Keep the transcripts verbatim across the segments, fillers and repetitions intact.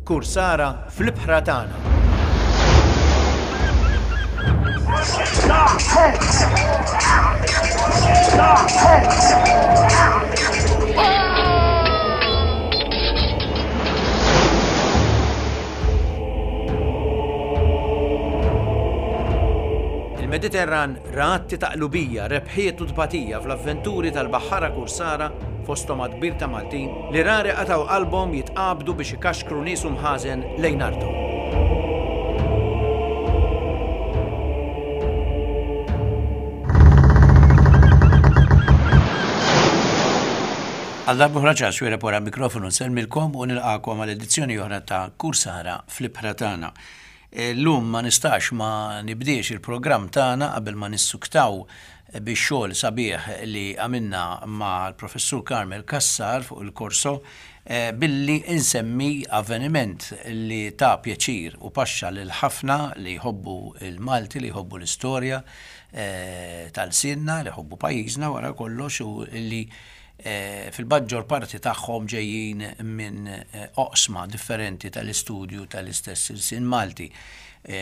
Kursara fl-ibħra tagħna. Il-Mediterran ra atti ta' qlubija, rebħiet u tbatija fl-avventuri tal-baħħara kursara, fosthom għadd kbir ta' Maltin, li rari qatgħu qalbhom jitqabdu biex ikaxkru nies u mħażen lejn arthom. Għal darb'oħra Charles Xuereb wara mikrofonu nsellmilkom u nilqakom għal edizzjoni oħra ta' Kursara fl-ibħra tagħna. Illum ma nistax ma nibdiex il-programm tagħna qabel ma nissuktaw bix-xogħol sabiħ li għamilna mal-Professur Carmel Cassar fuq il-Corso billi insemmi avveniment li ta' pjaċir u paxxa lil ħafna li jħobbu il-Malti, li jħobbu l-istorja tal-sinna, li jħobbu pajjiżna wara kollox u li fil-maġġor parti tagħhom ġejjin minn oqsma differenti tal-istudju tal-istess ilsien Malti,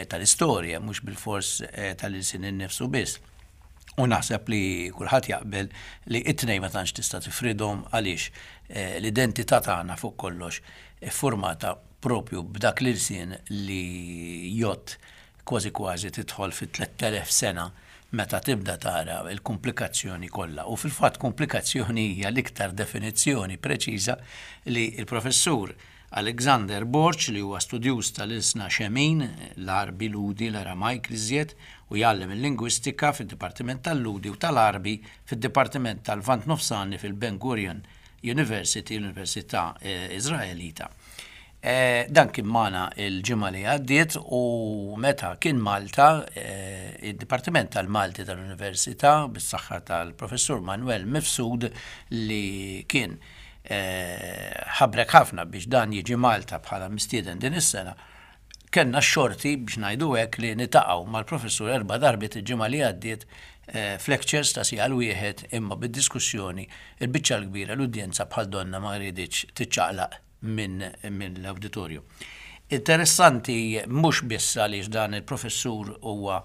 tal-istorja, mhux bilfors tal-ilsien innifsu biss. U naħseb li kulħadd jaqbel li it-tnejn ma tantx tista' tifridhom għaliex l-identità tagħna fuq kollox iffurmata propju b'dak l-ilsien li jgħodd kważi kważi tidħol fi tlett elef sena meta tibda tara l-komplikazzjoni kollha. U fil-fatt komplikazzjoni hija l-iktar definizzjoni preċiża li l-professur Alexander Borg, li huwa studjuż tal-ilsna Xemin, l-Għarbi, Lhudi, l-Aramajk l-iżjed, u jgħallem il-lingwistika fid-Dipartiment tal-Lhudi u tal-Għarbi fid-Dipartiment tal-Lvant Nofsani fil-Ben Gurion University, l-Università Iżraelita. Dan kien magħna l-ġimgħa li għaddiet u meta kien Malta, id-Dipartiment tal-Malti tal-Università bis-saħħa tal-Professur Manuel Mifsud li kien ħabrek ħafna biex dan jiġi Malta bħala mistieden din is-sena, kellna x-xorti biex ngħidu hekk li nitaqgħu mal-professur erba' darbiet il-ġimgħa li għaddiet f'lectures ta' siegħa l-wieħed, imma bid-diskussjoni il-biċċa l-kbira l-udjenza bħal donna ma riditx tiċċaqlaq minn l-awditorju. Interessanti mhux biss għaliex dan il-professur huwa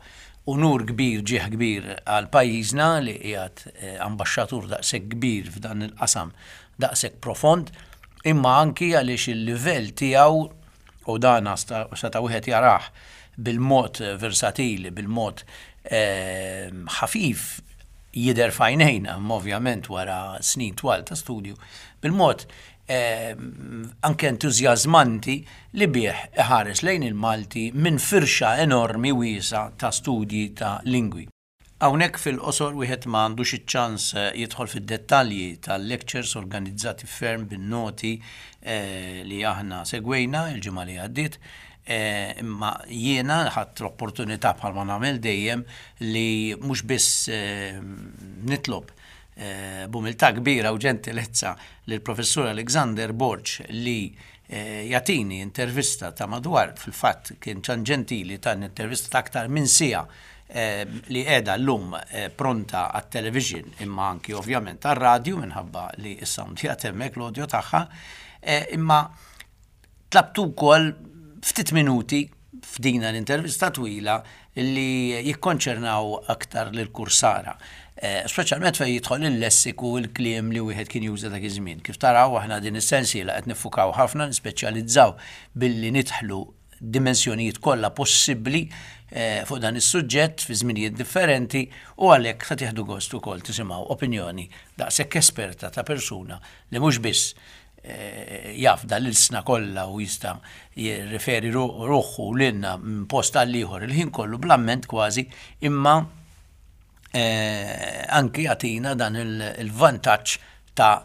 unur kbir, ġieħ kbir għal pajjiżna li qiegħed ambaxxatur daqshekk kbir f'dan il-qasam daqshekk profond, imma anki għaliex il-livell tiegħu, u dan seta' wieħed jarah bil-mod versatili, bil-mod ħafif jidher f'għajnejna, imma ovvjament wara snin twal ta' studju, bil-mod anke entużjażmanti li bih iħares lejn il-Malti minn firxa enormi wiesa ta' studji ta' lingwi. Hawnhekk fil-qosor wieħed ma għandux iċ-ċans jidħol fid-dettalji tal-lectures organizzati ferm bin-noti li aħna segwejna il-ġimgħa li għaddiet, imma jiena ħadt l-opportunità bħalma nagħmel dejjem li mhux biss nitlob b'umiltà kbira u ġentilezza lill-Professur Alexander Borg li jagħtini intervista ta' madwar, fil-fatt kien ċan ġentili ta' intervista ta' aktar minn siegħa li qiegħda llum pronta għat-television imma anki ovvjament għar-radju minħabba li s-sound qiegħed hemmhekk l-audio tagħha, imma tlabtu wkoll ftit minuti f'dina l-intervista twila li jikkonċernaw aktar lil kursara, speċjalment fejn jidħol il-lessiku u l-kliem li wieħed kien juża dak iż-żmien. Kif taraw aħna din is-sensiela qed niffukaw ħafna, nispeċjalizzaw billi nidħlu dimensjonijiet kollha possibbli fuq dan is-suġġett fi żminijiet differenti, u għalhekk se tieħdu gost ukoll tisimgħu opinjoni daqshekk esperta ta' persuna li mhux biss jaf dal-ilsna kollha u jista' jirriferi ruħu lilna minn post għal ieħor il-ħin kollu bl-amment kważi, imma anki jagħtina dan il-vantaġġ ta'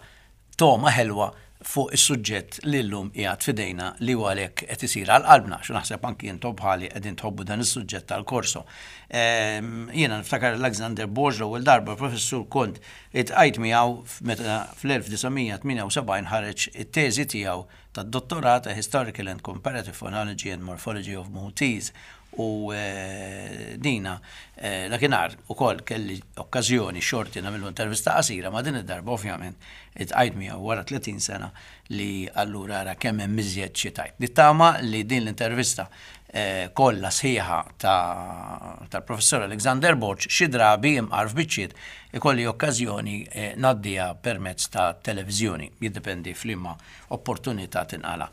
toma ħelwa fuq is-suġġett li llum qiegħed f'idejna li huwa għalhekk qed isir għal qalbna, xi naħseb anki intom bħali qegħdin tħobbu dan is-suġġett tal-korso. Jiena niftakar Alexander Borg l-ewwel darba professur kont iltqajt miegħu meta fl-elf disa' mija tmienja u sebgħin ħareġ it-teżi tiegħu tad-dottorat A Historical and Comparative Phonology and Morphology of Maltese, U eh, dina eh, dakinhar ukoll kelli okkażjoni xorti nagħmlu intervista qasira, ma din id-darba ovvjament iltqajt miegħu wara tletin sena, li allura ara kemm hemm iżjed xi tgħid. Nittama li din l-intervista eh, kollha sħiħa tal-professor Alexander Borg xi drabi imqar f'biċċiet ikolli okkażjoni ngħaddiha permezz ta' televiżjoni, jiddependi f'liema opportunità tinqala.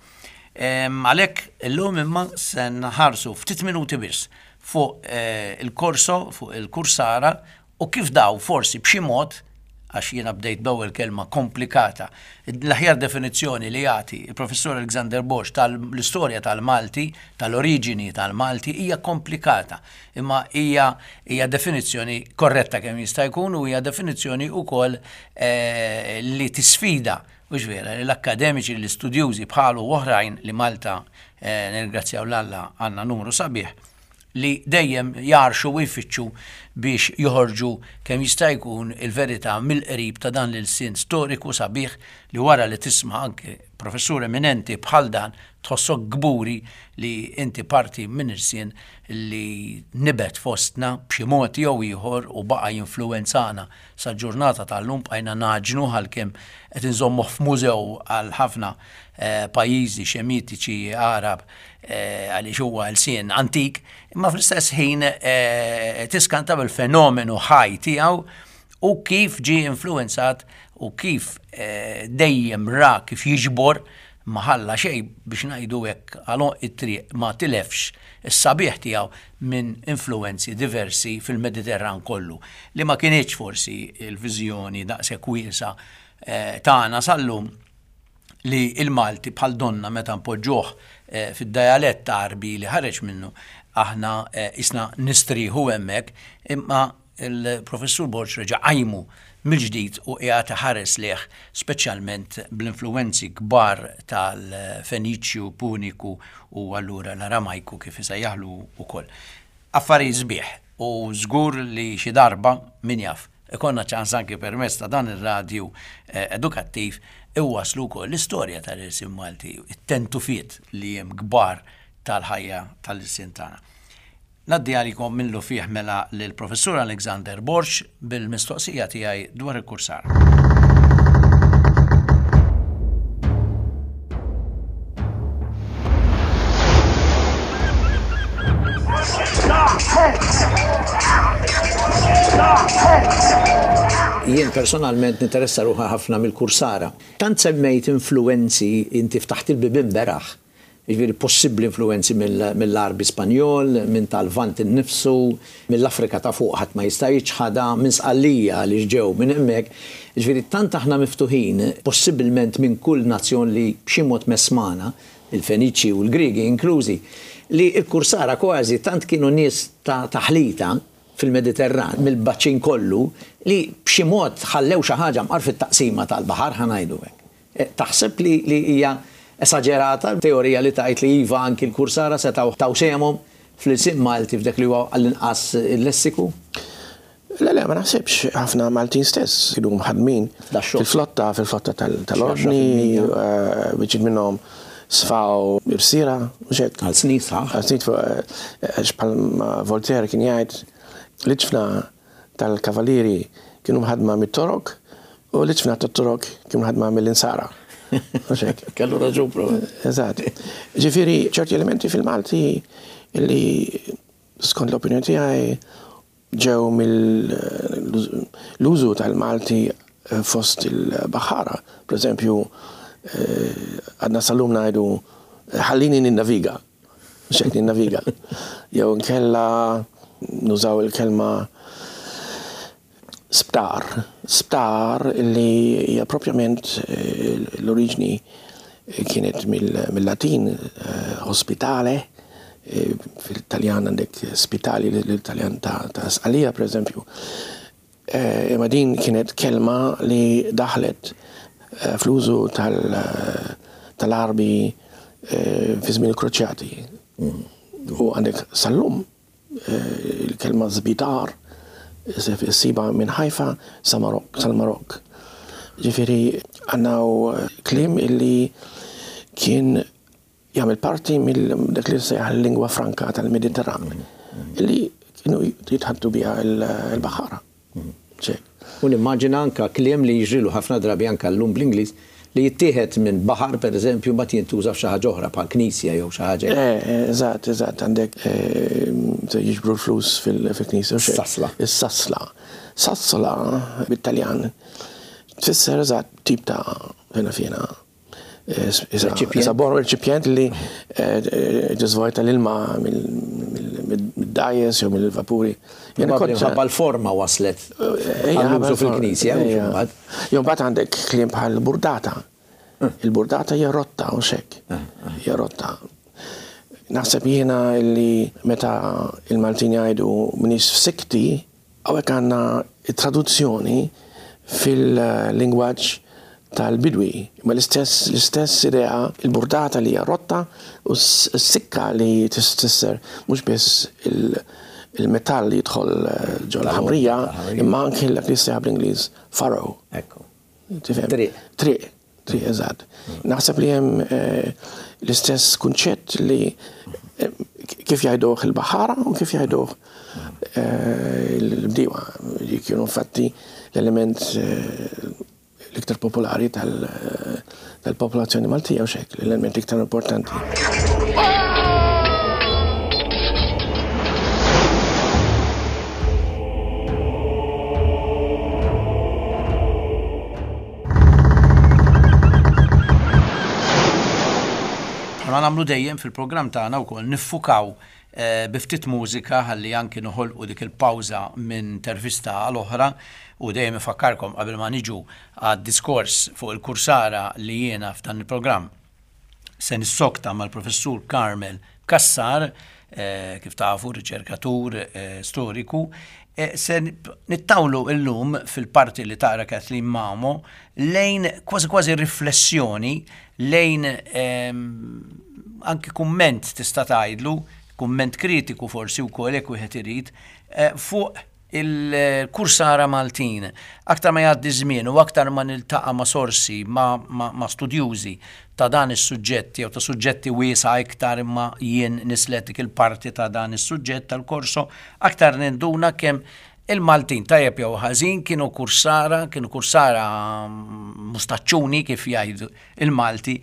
Għalhekk illum imma se nħarsu ftit minuti biss fuq eh, il-korso, fuq il-kursara u kif daw forsi b'xi mod, għax jiena bdejt b'ewwel kelma komplikata. L-aħjar definizzjoni li jagħti il-professor Alexander Borg tal-istorja tal-Malti, tal-oriġini tal-Malti, hija komplikata, imma hija hija definizzjoni korretta kemm jista' jkun u hija definizzjoni wkoll eh, li tisfida, u vera, l-akademiċi, l-istudjużi bħalu oħrajn li Malta, eh, nirringrazzjaw 'l Alla, għandna numru sabiħ, li dejjem jarxu u jfittxu biex joħorġu kemm jista' jkun il-verità mill-qrib ta' dan l-ilsien storiku sabiħ, li wara li tisma' anke professur eminenti bħal dan tħossok kburi li inti parti minn ilsien li nibet fostna b'xi mod jew ieħor u baqa' jinfluwenzana sa ġurnata tal-lum. Bqajna nagħġnu għalkemm qed inżommuh f'mużew għal ħafna eh, pajjiżi Semitiċi, Arab, eh, għaliex huwa lsien antik, imma fl-istess ħin eh, tiskanta bil-fenomenu ħaj tiegħu u kif ġie influenzat u kif dejjem ra kif jiġbor, ma ħalla xejn, biex ngħidu hekk, għal it-triq, ma tilefx is-sabiħ tiegħu minn influenzi diversi fil-Mediterran kollu, li ma kinitx forsi il-viżjoni daqshekk wiesa eh, tagħna sal-lum, li il-Malti bħal donna meta npoġġuh eh, fid-dialett Għarbi li ħareġ minnu aħna eh, isna nistriħu hemmhekk, imma il-professur Borg reġa' qajmu mill-ġdid u qiegħed ħares lejh, speċjalment bl-influenzi kbar tal-Feniċju, Puniku u allura l-Aramajku kif isejjaħlu ukoll. Affarijiet sbieħ u żgur li xi darba, min jaf, ikollna ċans anki permezz ta' dan ir-radju eh, edukattiv iwaslu wkoll l-istorja tal-ilsien Malti, it-tentufiet li hemm kbar tal-ħajja tal-ilsien tagħna. Ngħaddi għalikom minnufih mela lill-professur Alexander Borg bil-mistoqsija tiegħi dwar il-kursar. Jien personalment ninteressa ruħi ħafna mill-kursara. Tant semmejt influenzi, inti ftaħt il-bibien beraħ. Jiġifieri possibbli influenzi mill-Għarbi Spanjol, minn tal-Lvant innifsu, mill-Afrika ta' fuq ħadd ma jista' jiċħadha, minn Sqallija li ġew minn hemmhekk. Jiġifieri tant aħna miftuħin, possibilment minn kull nazzjon li b'xi mod mess magħna, il-Feniċi u l-Griegi inklużi, li l-kursara kważi tant kienu nies ta' taħlita fil-Mediterran, mill-baċin kollu, li b'xi mod ħallew xi ħaġa mqar fit-taqsima tal-baħar, ħa ngħidu hekk. Eh, taħseb li hija esaġerata teorija li tgħid li iva, anki l-kursara setgħu taw sehemhom fl-ilsien Malti f'dak li huwa għall-inqas il-lessiku? Le, le, ma naħsibx. Ħafna Maltin stess kienu mħadmin fil-flotta, fil-flotta tal-ordni, eh, biċċiet minnhom sfaw irsiera, mhux hekk? Għal snin sħaħ. Għal snin, għax bħal Voltaire kien jgħid, l-iġfna tal-kavalieri kienu mħadma mit-Torok u l-iġfna tat-Torok kienu mħadma mill-Insara. Kellu raġun, pro. Eżatt. Ġifieri, ċerti elementi fil-Malti li skont l-opinjoni tiegħi ġew mill-użu tal-Malti fost il-baħħara. Per eżempju, għadna sal-lum ngħidu "ħallini ninnaviga", mhux hekk, "ninnaviga". Jew nkella nużaw il-kelma sptar. Sptar li hija propjament l-oriġni kienet mill-Latin hospitale, fil-Taljan għandek spitali, l-Taljan ta' Sqallija, per eżempju. Imma din kienet kelma li daħlet fl-użu tal-Għarbi fi żmien il-Kroċjati. U għandek sal-lum il-kelma żbitar ssibha minn Ħajfa sal-Marokk. Ġifieri għandna kliem illi kien Jagħmel parti mill dak li sejjaħ il-lingwa franka tal-Mediterran li kienu jitħaddtu biha l-baħara. U nimmaġina anka kliem li jiġrilu ħafna drabi anka llum bl-Ingliż li jittieħed minn baħar, per eżempju, ma jintuża f'xi ħaġa oħra bħal knisja jew xi ħaġa. Eżatt, eżatt, għandek jiġbru l-flus fil-knisja. Sasla. Is-sasla. Sasla bit-Taljan tfisser eżatt tip ta' fina fina. Isa bor reċipjent li ġiżvojta l-ilma mid-dajes jew mill-vapuri. Minħabba l-forma waslet għall-użu fil-knisja. Jew mbagħad għandek kliem bħal burdata. Il-burdata hija rotta u xek. Hija rotta. Naħseb jiena li meta il-Maltin jgħidu m'iniex f'sikti, hawnhekk għandna traduzzjoni fil-lingwaġġ tal-bidwi. Ma l-istess l-istess idea, il-burdata li hija rotta u s-sikka li tisser mhux biss il-metall li jidħol ġol ħamrija, imma anke dak li jsejjaħ bl-Ingliż furrow. Ekku. Triq. Triq, triq, eżatt. Naħseb li hemm l-istess kunċett li kif jgħiduh il-baħara u kif jgħiduh l-bdiewa, li kienu infatti l-element l-iktar popolari tal-popolazzjoni Maltija u xek, l-element l-iktar importanti. Ma nagħmlu dejjem fil-programm tagħna wkoll niffukaw bi ftit mużika ħalli anki noħolqu dik il-pawża minn intervista għal oħra, u dejjem ifakkarkom qabel ma niġu għad-diskors fuq il-kursara li jiena f'dan il-programm se nissokta mal-professur Carmel Cassar, kif tafu riċerkatur storiku, se nittawlu illum fil-parti li taqra Kathleen Mamo lejn kważi kważi riflessjoni lejn anki kumment tista' tgħidlu, kumment kritiku forsi wkoll jekk wieħed irid, fuq il-kursara Maltin. Aktar ma jgħaddi żmien u aktar ma niltaqa' ma' sorsi, ma' studjużi ta' dan is-suġġett jew ta' suġġetti wiesa' iktar imma jien nislet dik il-parti ta' dan is-suġġett tal-korso, aktar ninduna kemm il-Maltin tajjeb jew ħażin kienu kursara, kienu kursara mustaċċuni kif jgħidu il-Malti,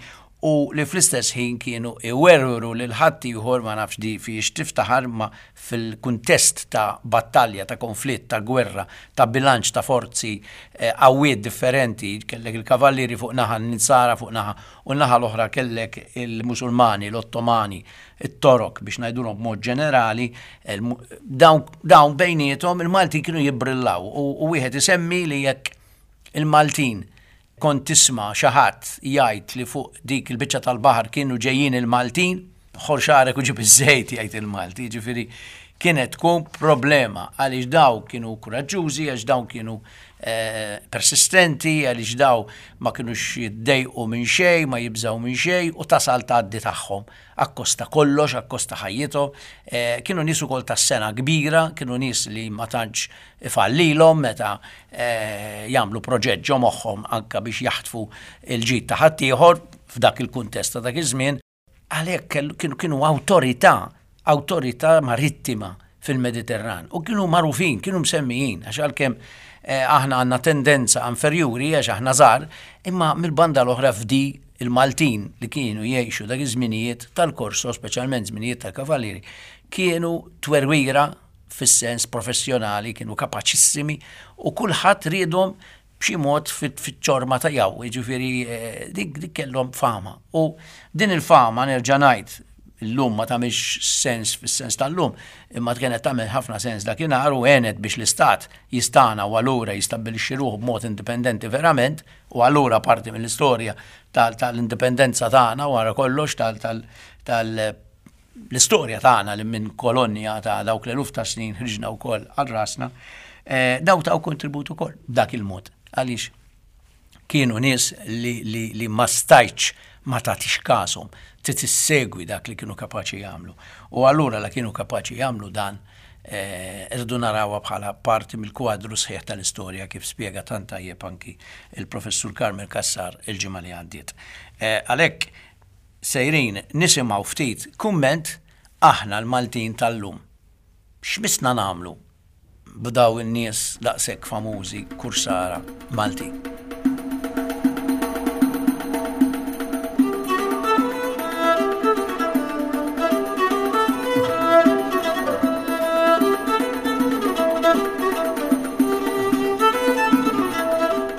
u li fl-istess ħin kienu iwerwru lil ħaddieħor, ma nafx di fiex tiftaħar, ma fil-kuntest ta' battalja, ta' konflitt, ta' gwerra, ta' bilanċ ta' forzi qawwiet differenti, kellek il-kavallieri fuq naħa, n-Insara fuq naħa, u n-naħa l-oħra kellek il-Musulmani, l-Ottomani, it-Torok, biex ngħidulhom b'mod ġenerali, dawn bejniethom il-Maltin kienu jibbrillaw, u wieħed isemmi li jekk il-Maltin kont tisma' xi ħadd jgħid li fuq dik il-biċċa tal-baħar kienu ġejjin il-Maltin, ħor xagħrek u ġib iż-żejt jgħid il-Malti, jiġifieri kienet tkun problema għaliex daw kienu kuraġġużi, għax daw kienu persistenti, għaliex daw ma kinux jiddejqu minn xejn, ma jibżgħu minn xejn, u tasal tgħaddi tagħhom akkosta kollox, akkosta ħajjithom. Kienu nies ukoll tas-sena kbira, kienu nies li ma tantx ifallilhom meta jagħmlu proġett ġo moħħhom anke biex jaħtfu l-ġid ta' ħaddieħor f'dak il-kuntest ta' dak iż-żmien. Għalhekk kienu kienu awtorità, awtorità marittima fil-Mediterran, u kienu magħrufin, kienu msemmijin, għax għalkemm aħna għandna tendenza inferjuri għax aħna żgħar, imma mill-banda l-oħra f'di il-Maltin li kienu jgħixu dak iż-żminijiet tal-korso, speċjalment żminijiet tal-kavallieri, kienu twerwira fis-sens professjonali, kienu kapaċissimi u kulħadd riedhom b'xi mod fiċ-ċorma tiegħu, jiġifieri dik dik kellhom fama. U din il-fama nerġa' ngħid illum ma tagħmilx sens fis-sens tal-lum, imma kienet tagħmel ħafna sens dakinhar u għenet biex l-istat jistana u allura jistabbilixxi ruħu b'mod indipendenti verament, u allura parti mill-istorja tal-indipendenza tagħna wara kollox tal-istorja tagħna li minn kolonja ta' dawk l-eluf ta' snin ħriġna wkoll għal rasna, daw taw kontribut ukoll b'dak il-mod. Għaliex kienu nies li, li, li ma stajtx ma tagħtix kashom, trid issegwi dak li kienu kapaċi jagħmlu. U allura la kienu kapaċi jagħmlu dan, irridu narawha bħala parti mill-kwadru sħiħ tal-istorja kif spjega tant tajjeb anki il-professur Carmel Cassar il-ġimgħa li għaddiet. Għalhekk Sejrin nisimgħu ftit kumment aħna l-Maltin tal-lum. X'missna nagħmlu b'daw in-nies daqshekk famużi kursara Maltin?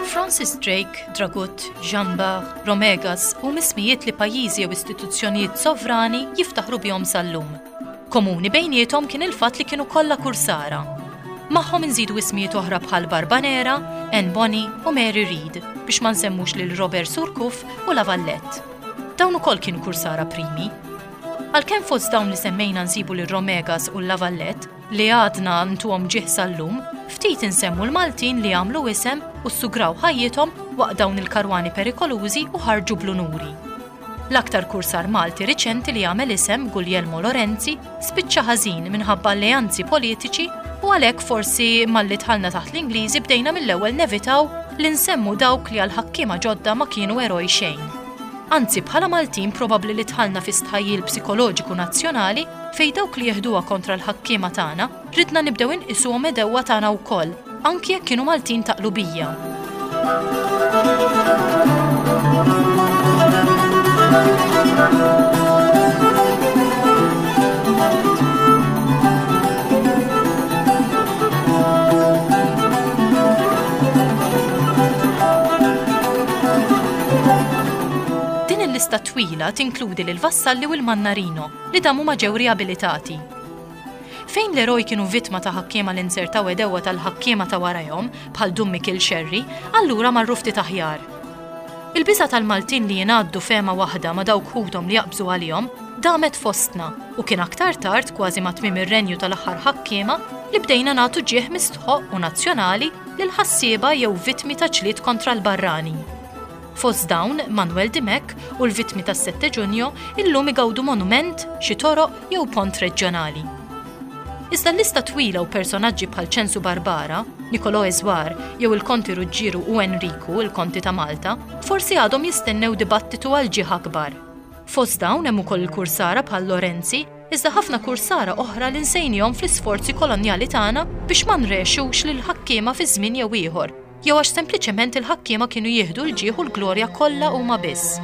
Francis Drake, Dragut, Jean Bart, Romegas u ismijiet li pajjiżi jew istituzzjonijiet sovrani jiftaħru bihom sal-lum. Komuni bejniethom kien il-fatt li kienu kollha kursara. Magħhom inżidu ismijiet oħra bħal Barbanera, Anne Bonny u Mary Read biex ma nsemmux lil Robert Surcouf u La Valette. Dawn ukoll kienu kursara primi. Għalkemm fost dawn li semmejna nsibu lil Romegas u La Valette li għadna ntuhom ġieħ sal-lum, ftit insemmu l-Maltin li għamlu isem u ssugraw ħajjithom waqt dawn il-karwani perikolużi u ħarġu bl-unuri. L-aktar kursar Malti riċenti li għamel isem Guglielmo Lorenzi spiċċa ħażin minħabba alleanzi politiċi u għalhekk forsi malli dħalna taħt l-Ingliżi bdejna mill-ewwel nevitaw li nsemmu dawk li għal-ħakkiema ġodda ma kienu eroj xejn. Anzi, bħala Maltin probabbli li dħalna fi stħajjil psikoloġiku nazzjonali fejn dawk li jeħduha kontra l-ħakkiema tagħna ridna nibdew inqisuhom edewwa tagħna wkoll, anki jekk kienu Maltin ta' qlubija. Din il-lista twila tinkludi lil Vassalli u l-Mannarino li damu ma ġew riabilitati. Fejn l-eroj kienu vittma ta' ħakkiema li nsertaw edewwa tal-ħakkiema ta' warajhom bħal Dun Mikiel Xerri, allura marru ftit aħjar. Il-biża tal-Maltin li jingħaddu fehma waħda ma' dawk ħuthom li jaqbżu għalihom damet fostna u kien aktar tard kważi ma' tmiem ir-renju tal-aħħar ħakkiema li bdejna nagħtu ġieħ mistħoq u nazzjonali lil ħassieba jew vittmi ta' ġlied kontra l-barrani. Fost dawn, Manuel Dimech u l-vittmi tas-sette Ġunju illum igawdu monument, xi toroq jew pont reġjonali. Iżda l-lista twila u personaġġi bħal Ċensu Barbara, Nicolò Eżwar jew il-Konti Ruġġieru u Enriku, il-Konti ta' Malta, forsi għadhom jistennew dibattitu għal ġieħ akbar. Fost dawn hemm ukoll il-kursara bħal Lorenzi, iżda ħafna kursara oħra li nsejnihom fl-isforzi kolonjali tagħna biex ma nrexux lil ħakkiema fi żmien jew ieħor, jew għax sempliċement il-ħakkiema kienu jieħdu l-ġieħ u l-glorja kollha huma biss.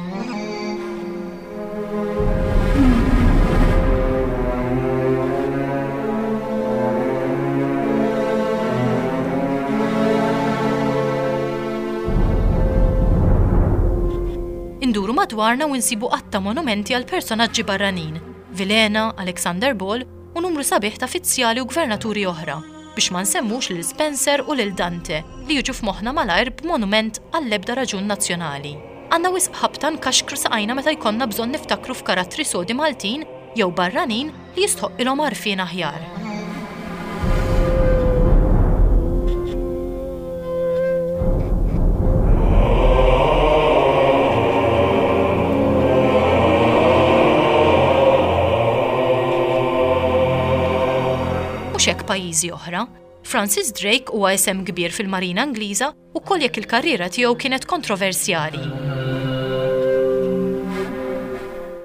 Induru madwarna u nsibu qatta monumenti għal personaġġi barranin, Vilhena, Alexander Ball u numru sabiħ ta' fizzjali u gvernaturi oħra, biex ma nsemmux lil Spencer u lil Dante li jiġu f'moħħna malajr b'monument għall-ebda raġun nazzjonali. Għandna wisq ħabta nkaxkru saqajna meta jkollna bżonn niftakru f'karattri sodi Maltin jew barranin li jistħoqqilhom għarfien aħjar. Mhux hekk pajjiżi oħra. Francis Drake huwa isem kbir fil-Marina Ingliża u koll jekk il-karriera tiegħu kienet kontroversjali.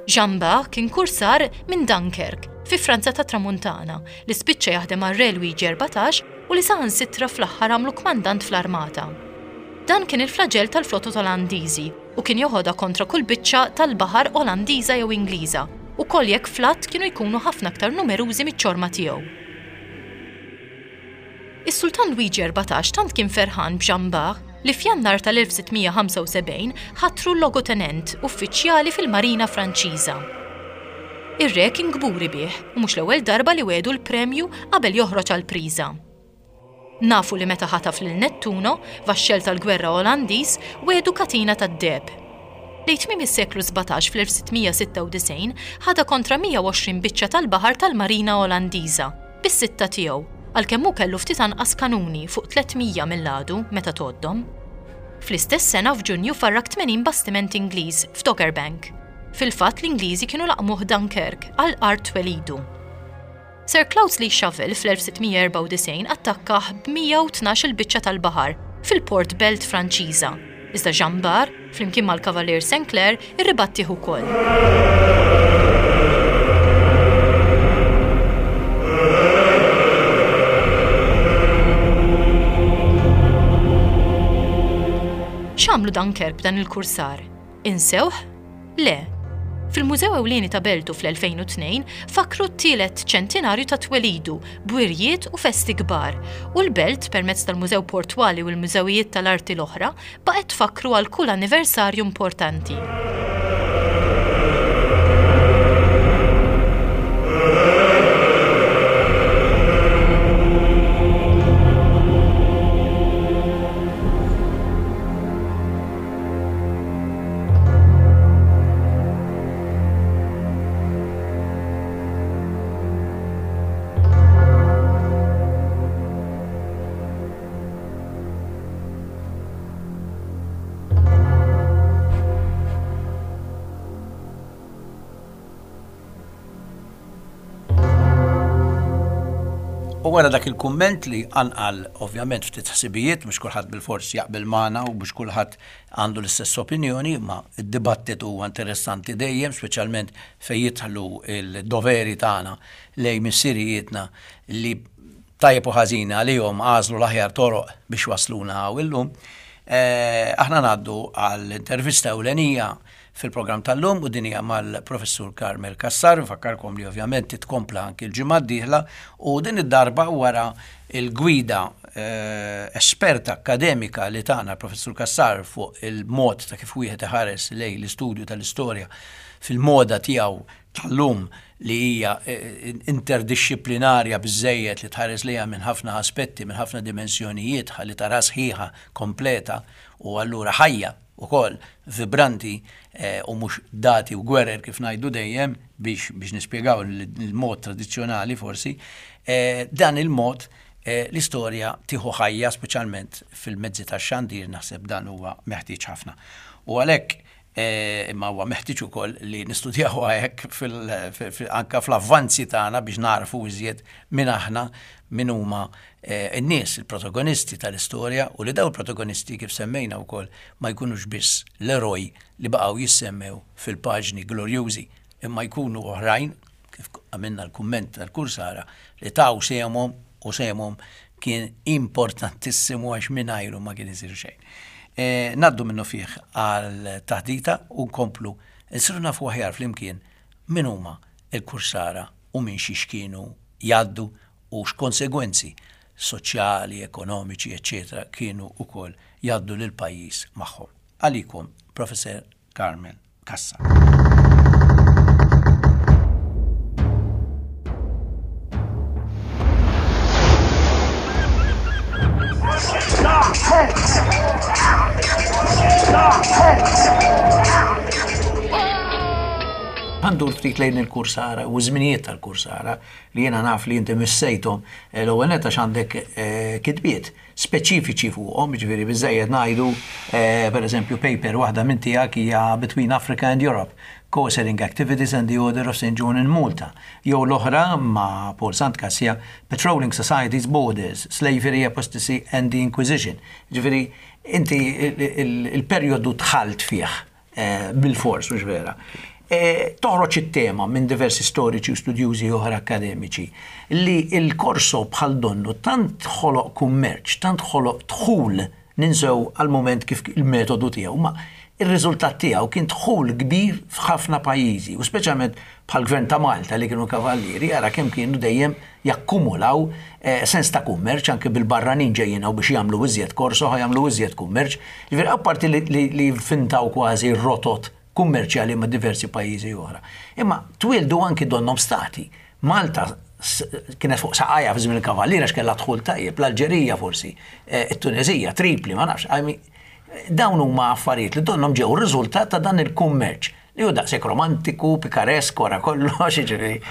Jean Bart kien kursar minn Dunkirk fi Franza ta' Tramuntana li spiċċa jaħdem għar-Re Luigi erbatax u li saħansitra fl-aħħar għamlu kmandant fl-armata. Dan kien il-flagell tal-flotot Olandiżi u kien joħodha kontra kull biċċa tal-baħar Olandiża jew Ingliża u koll jekk flatt kienu jkunu ħafna aktar numerużi miċ-ċorma tiegħu. Is-Sultan Luigi erbatax tant kien ferħan b'Jean Bart li f'Jannar tal-elf sittmija ħamsa u sebgħin ħatru logotenent uffiċjali fil-Marina Franċiża. Ir-re kien kburi bih u mhux l-ewwel darba li wedu l-premju qabel joħroġ għall-priża. Nafu li meta ħataf lil Nettuno, vaxxell tal-gwerra Olandiż, wedu katina tad-deheb. Lejn tmiem is-seklu sbatax fl-elf sittmija sitta u disgħin ħadha kontra mija u għoxrin biċċa tal-baħar tal-Marina Olandiża bis-sitta tiegħu, għalkemm hu kellu ftit anqas kanuni fuq tliet mija mill-għadu meta tgħoddhom. Fl-istess sena f'Ġunju farrak tmenin bastiment Ingliż f'Dogger Bank. Fil-fatt l-Ingliżi kienu laqmuh Dunkirk għal art twelidu. Sir Cloudesley Shovel fl-elf sittmija erbgħa u disgħin attakkah b'mija u tnax il biċċa tal-baħar fil-Port Belt Franċiża. Iżda Jean Bart, flimkien mal-Kavalier Sinclair, irribattih ukoll. X'għamlu Dunkerque b'dan il-kursar? Insewh? Le. Fil-Mużew Ewlieni ta' Beltu fl-elfejn u tnejn fakru t-tielet ċentinarju ta' twelidu b'wirjiet u festi kbar, u l-belt permezz tal-Mużew Portwali u l-mużewijiet tal-arti l-oħra baqgħet tfakru għal kull anniversarju importanti. U wara dak il-kumment li anqal ovvjament ftit ħsibijiet, mhux kulħadd bil-fors jaqbel magħna u mhux kulħadd għandu l-istess opinjoni, imma d-dibattitu huwa interessanti dejjem, speċjalment fejn jidħlu l-doveri tagħna lejn missirijietna li tajjeb u ħażin għalihom għażlu l-aħjar toroq biex wasluna hawn illum. Eh, aħna ngħaddu għall-intervista ewlenija fil-programm tal-lum u din hija mal-Professur Carmel Cassar. Nfakkarkom li ovvjament titkompla anki l-ġimgħa d-dieħla u din id-darba wara il-gwida, eh, esperta akademika li tagħna l-Professur Cassar fuq il-mod ta' kif wieħed iħares lejn l-istudju tal-istorja fil-moda tiegħu tal-lum li hija, eh, interdixxiplinarja biżżejjed li tħares lejha minn ħafna aspetti, minn ħafna dimensjonijiet ħalli tara sħiħa kompleta u allura ħajja ukoll vibranti, eh, u mhux dati u gwerer kif ngħidu dejjem biex, biex nispjegaw il-mod tradizzjonali forsi, eh, dan il-mod, eh, l-istorja tieħu ħajja speċjalment fil-mezzi tax-xandir, naħseb dan huwa meħtieġ ħafna. U għalhekk, eh, imma huwa meħtieġ ukoll li nistudjaw hekk fil-, fil-, fil-, anka fl-avvanzi tagħna biex narfu iżjed min aħna, min huma, eh, n-nies, il-protagonisti tal-istorja, u li daw il-protagonisti kif semmejna wkoll ma jkunux biss l-eroj li baqgħu jissemmew fil-paġni glorjużi, imma jkunu oħrajn, kif għamilna l-kumment tal-kursara, li taw sehemhom u sehemhom kien importantissimu għax mingħajru ma kien isir xejn. Eh, naddu minnu fih għal taħdita u nkomplu nsiru nafu aħjar flimkien min huma il-kursara u minn xiex kienu jgħaddu u x'konsegwenzi soċjali, ekonomiċi, eċċetera kienu wkoll jgħaddu lil pajjiż magħhom. Għalikom, Professor Carmel Cassar. Għandu ftit lejn il-kursara u żminijiet tal-kursara li jiena naf li inti missejthom, eh, l-ewwel nett għax għandek, eh, kitbiet speċifiċi fuqhom, jiġifieri biżżejjed ngħidu, eh, pereżempju paper waħda minn tiegħek hija Between Africa and Europe, Corsairing Activities and the Order of Saint John in Malta, jew l-oħra ma' Paul Sant Cassia, Patrolling Societies Borders, Slavery, Apostasy and the Inquisition. Jiġifieri inti il-, il-, il-perjodu dħalt fih, eh, bil-fors, mhux vera. E, toħroġ it-tema minn diversi storiċi u studjużi oħra akademiċi li il-korso bħal donnu tant ħoloq kummerċ, tant ħoloq dħul, ninsew għal-moment kif il-metodu tiegħu, ma il-riżultat tiegħu kien dħul kbir f'ħafna pajjiżi, u speċjalment bħal gvern ta' Malta li kienu kavallieri, ara kemm kienu dejjem jakkumulaw, eh, sens ta' kummerċ anke bil-barranin ġejjin hawn biex jagħmlu iżjed korso, ħa jagħmlu iżjed kummerċ. Ġifieri apparti li, li, li fintaw kważi rotot kummerċjali ma' diversi pajjiżi oħra. Imma twildu anki donnom stati. Malta s-, kienet fuq saqajja fi żmien il-Kavalliera għax kellha dħul tajjeb, l-Alġerija forsi, eh, it-Tunezija, Tripli, ma nafx. I mean, dawn huma affarijiet li donnom ġew riżultat ta' dan il-kummerċ li hu daqshekk romantiku, pikaresk, wara kollox, jiġifieri.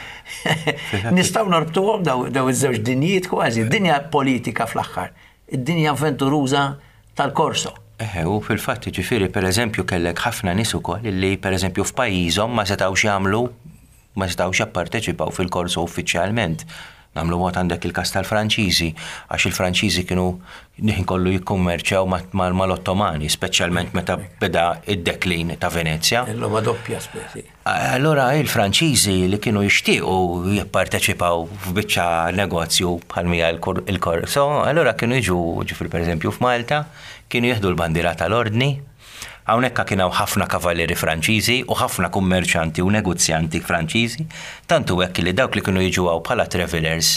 Nistgħu norbtuhom daw, daw iż-żewġ dinjiet kważi, dinja politika fl-aħħar, id-dinja avventuruża tal-korso. Eħe, u fil-fatt ġifieri per eżempju kellek ħafna nies ukoll li per eżempju f'pajjiżhom ma setgħux jagħmlu, ma setgħux japparteċipaw fil-korso uffiċjalment. Nagħmlu mod għandek il-kas tal-Franċiżi, għax il-Franċiżi kienu ħin kollu jikkummerċjaw mal-Ottomani, speċjalment meta beda id-deklin ta' Venezja. Il-logħba doppja speċi. Allora il-Franċiżi li kienu jixtiequ jipparteċipaw f'biċċa negozju bħal mija il-korso, allora kienu jiġu ġifieri pereżempju f'Malta, kienu jieħdu l-bandiera tal-ordni. Hawnhekk kien hawn ħafna kavallieri Franċiżi u ħafna kummerċanti u negozjanti Franċiżi, tantu hekk li dawk li kienu jiġu hawn bħala travelers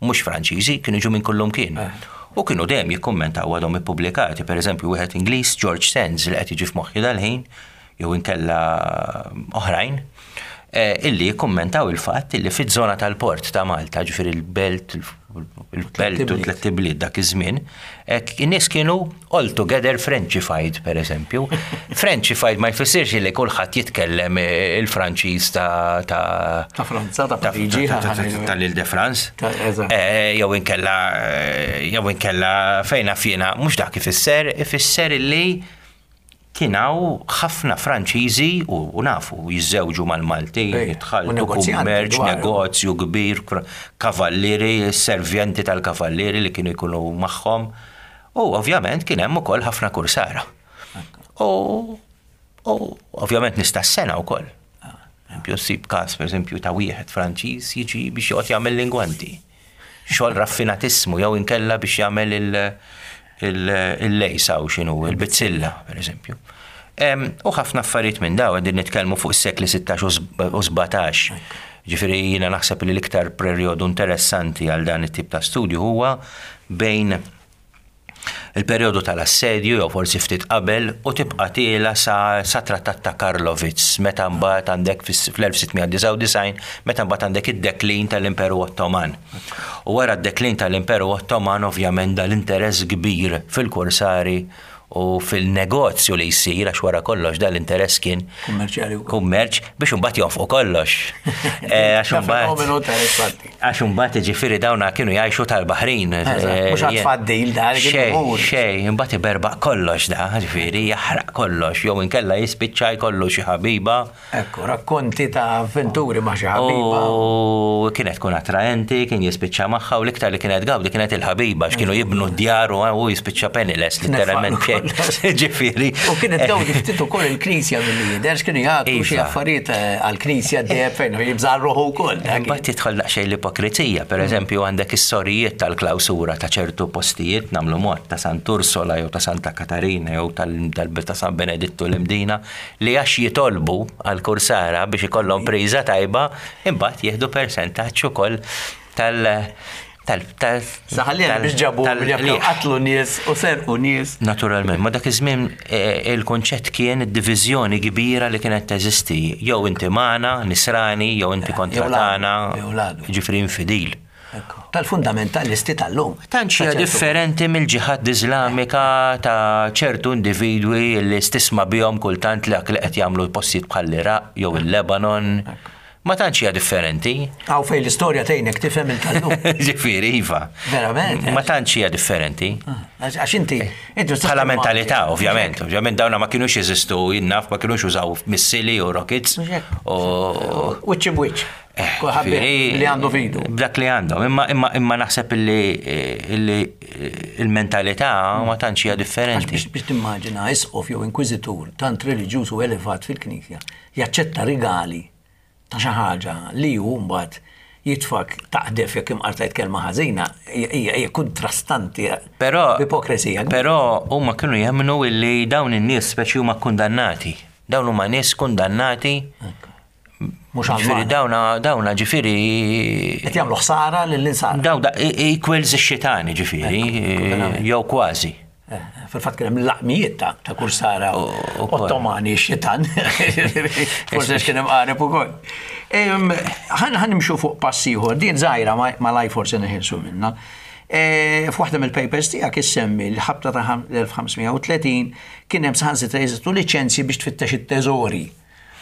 mhux Franċiżi kienu jiġu minn kullum kien. U kienu dejjem jikkummentaw għadhom ippubblikati, pereżempju wieħed Ingliż George Sands li qed jiġi f'moħħi dal-ħin, jew inkella oħrajn, illi jikkummentaw il-fatt illi fiż-żona tal-port ta' Malta, ġifieri il-belt, il-belt u tliet ibliet dak iż-żmien, in-nies kienu all together Frenchified, per eżempju. Frenchified ma jfissirx li kulħadd jitkellem il-Franċiż ta' ta' Franza, ta' Pariġi, tal-Ile de France. Jew inkella jew inkella fejn fjena, mhux dak ifisser, ifisser illi kien hawn ħafna Franċiżi u nafu jiżżewġu mal-Maltin, jitħalltu kummerċ, negozju kbir, kavallieri, servjenti tal-kavallieri li kienu jkunu magħhom. U ovvjament kien hemm ukoll ħafna kursara. U ovvjament nista' sena wkoll. Eżempju, ssib każ pereżempju ta' wieħed Franċiż jiġi biex joqgħod jagħmel lingwanti. Xogħol raffinatissimu jew inkella biex jagħmel il- il-lejsa u xinu, il-bizzilla, per eżempju. U ħafna affarijiet minn daw, qegħdin nitkellmu fuq is-sekli sittax u sbatax. Ġifieri jiena naħseb li l-iktar perjodu interessanti għal dan it-tip ta' studju huwa bejn il-perjodu tal-assedju jew forsi ftit qabel u tibqa' tiela sa, sa trattat ta' Karlovitz meta mbagħad għandek fl-elf sitt mija disgħa u disgħin meta mbagħad għandek id-deklin tal-Imperu Ottoman. U wara d-deklin tal-Imperu Ottoman ovvjament dal-interess kbir fil-kursari u fil-negozju li jsir, għax wara kollox dal-interess kien kummerċjali wkoll. Kummerċ biex imbagħad jonfqu kollox. Eh, għax imbagħad Fenomenu ta' infatti. Għax imbagħad jiġifieri dawna kienu jgħixu tal-Baħrin. Eżatt, Eh, mhux għad tfaddil da, li kien Xej, imur. xej, imbagħad iberbaq kollox da, ġifieri jaħraq kollox, jew inkella jispiċċa jkollu xi ħabiba. Ekku, rakkonti ta' avventuri ma' xi ħabiba. U kienet tkun attraenti, kien jispiċċa magħha u l-iktar li kienet gawdi kienet il-ħabiba, x'kienu jibnu d-djar u hu jispiċċa penniless, literalment. Nefaqlu kollox. Ġifieri. U kienet gawdi ftit ukoll il-Knisja mill-lider, x'kienu jagħtu xi Iva. affarijiet, eh, għall-Knisja dejjem fejn jibżar ruħu wkoll, dak Imbagħad jidħol daqsxejn l-ipokrizija, per eżempju għandek is-sorijiet tal-klawsura ta' ċertu postijiet nagħmlu mod ta' Sant'Ursola jew ta' Santa Katarina jew tal-, tal-, ta' San Benedittu l-Imdina li għax jitolbu għal-kursara biex ikollhom priża tajba, imbagħad jieħdu persentaġġ ukoll tal-, tal-, tal-, Saħalli tal- biex ġabu tal- bil liħ. qatlu nies u serqu nies. Naturalment, ma dak iż-żmien, eh, il-konċett kien id-diviżjoni kbira li kienet teżisti. Jew inti magħna, nisrani, jew inti kontra Jew ladu, tagħna, jew ladu. ġifieri infidil. Ekku. Tal-fundamentalisti tal-lum. Tant hija Ta' ċertu differenti mill-ġihad Iżlamika ta' ċertu individwi li stisma bihom kultant li li qed jagħmlu postijiet bħall-Iraq jew il-Lebanon. Ma tantx hija differenti. Għaw fejn l-istorja tgħinek tifhem il-tal-lum. Ġifieri, iva. Verament, Ma tantx hija differenti. Għax għax inti, inti tista' Bħala timmaġina. mentalità, ovvjament. Ovvjament dawna ma kienux jeżistu, jinnaf, ma kienux użaw missili u rockets. Mhux hekk. U Wiċċ b'wiċċ. Eh, Kulħadd ġifieri, li għandu fidu. B'dak li għandhom. Imma, imma, imma naħseb illi, illi il-mentalità ma tantx hija Għax differenti. biex, biex timmaġina isqof jew inkwiżitur tant reliġjuż u elevat fil-Knisja jaċċetta rigali ta' xi ħaġa li hu mbagħad jitfak taqdef jekk imqartajt kelma ħażina hija hija kontrastanti Però b'ipokresija. Però huma kienu jemmnu illi dawn in-nies speċi huma kundannati. Dawn huma nies kundannati. Mhux Ġifieri għal dawna dawna ġifieri Qed jagħmlu ħsara lill-insara. Daw da equals ix-xitani ġifieri, Ekku, verament. jew kważi. Eh, Fil-fatt kien hemm laqmijiet ta' ta' kursara U- u koll. Ottomani xitan. Forse x'kien hemm qareb ukoll. Em, Ħan ħan nimxu fuq pass ieħor, din żgħira ma ma laj forsi neħilsu minnha. E, F'waħda mill-papers tiegħek issemmi l-ħabta ta' l-elf ħamsmija u tletin kien hemm saħansitra jeżistu liċenzji biex tfittex it-teżori.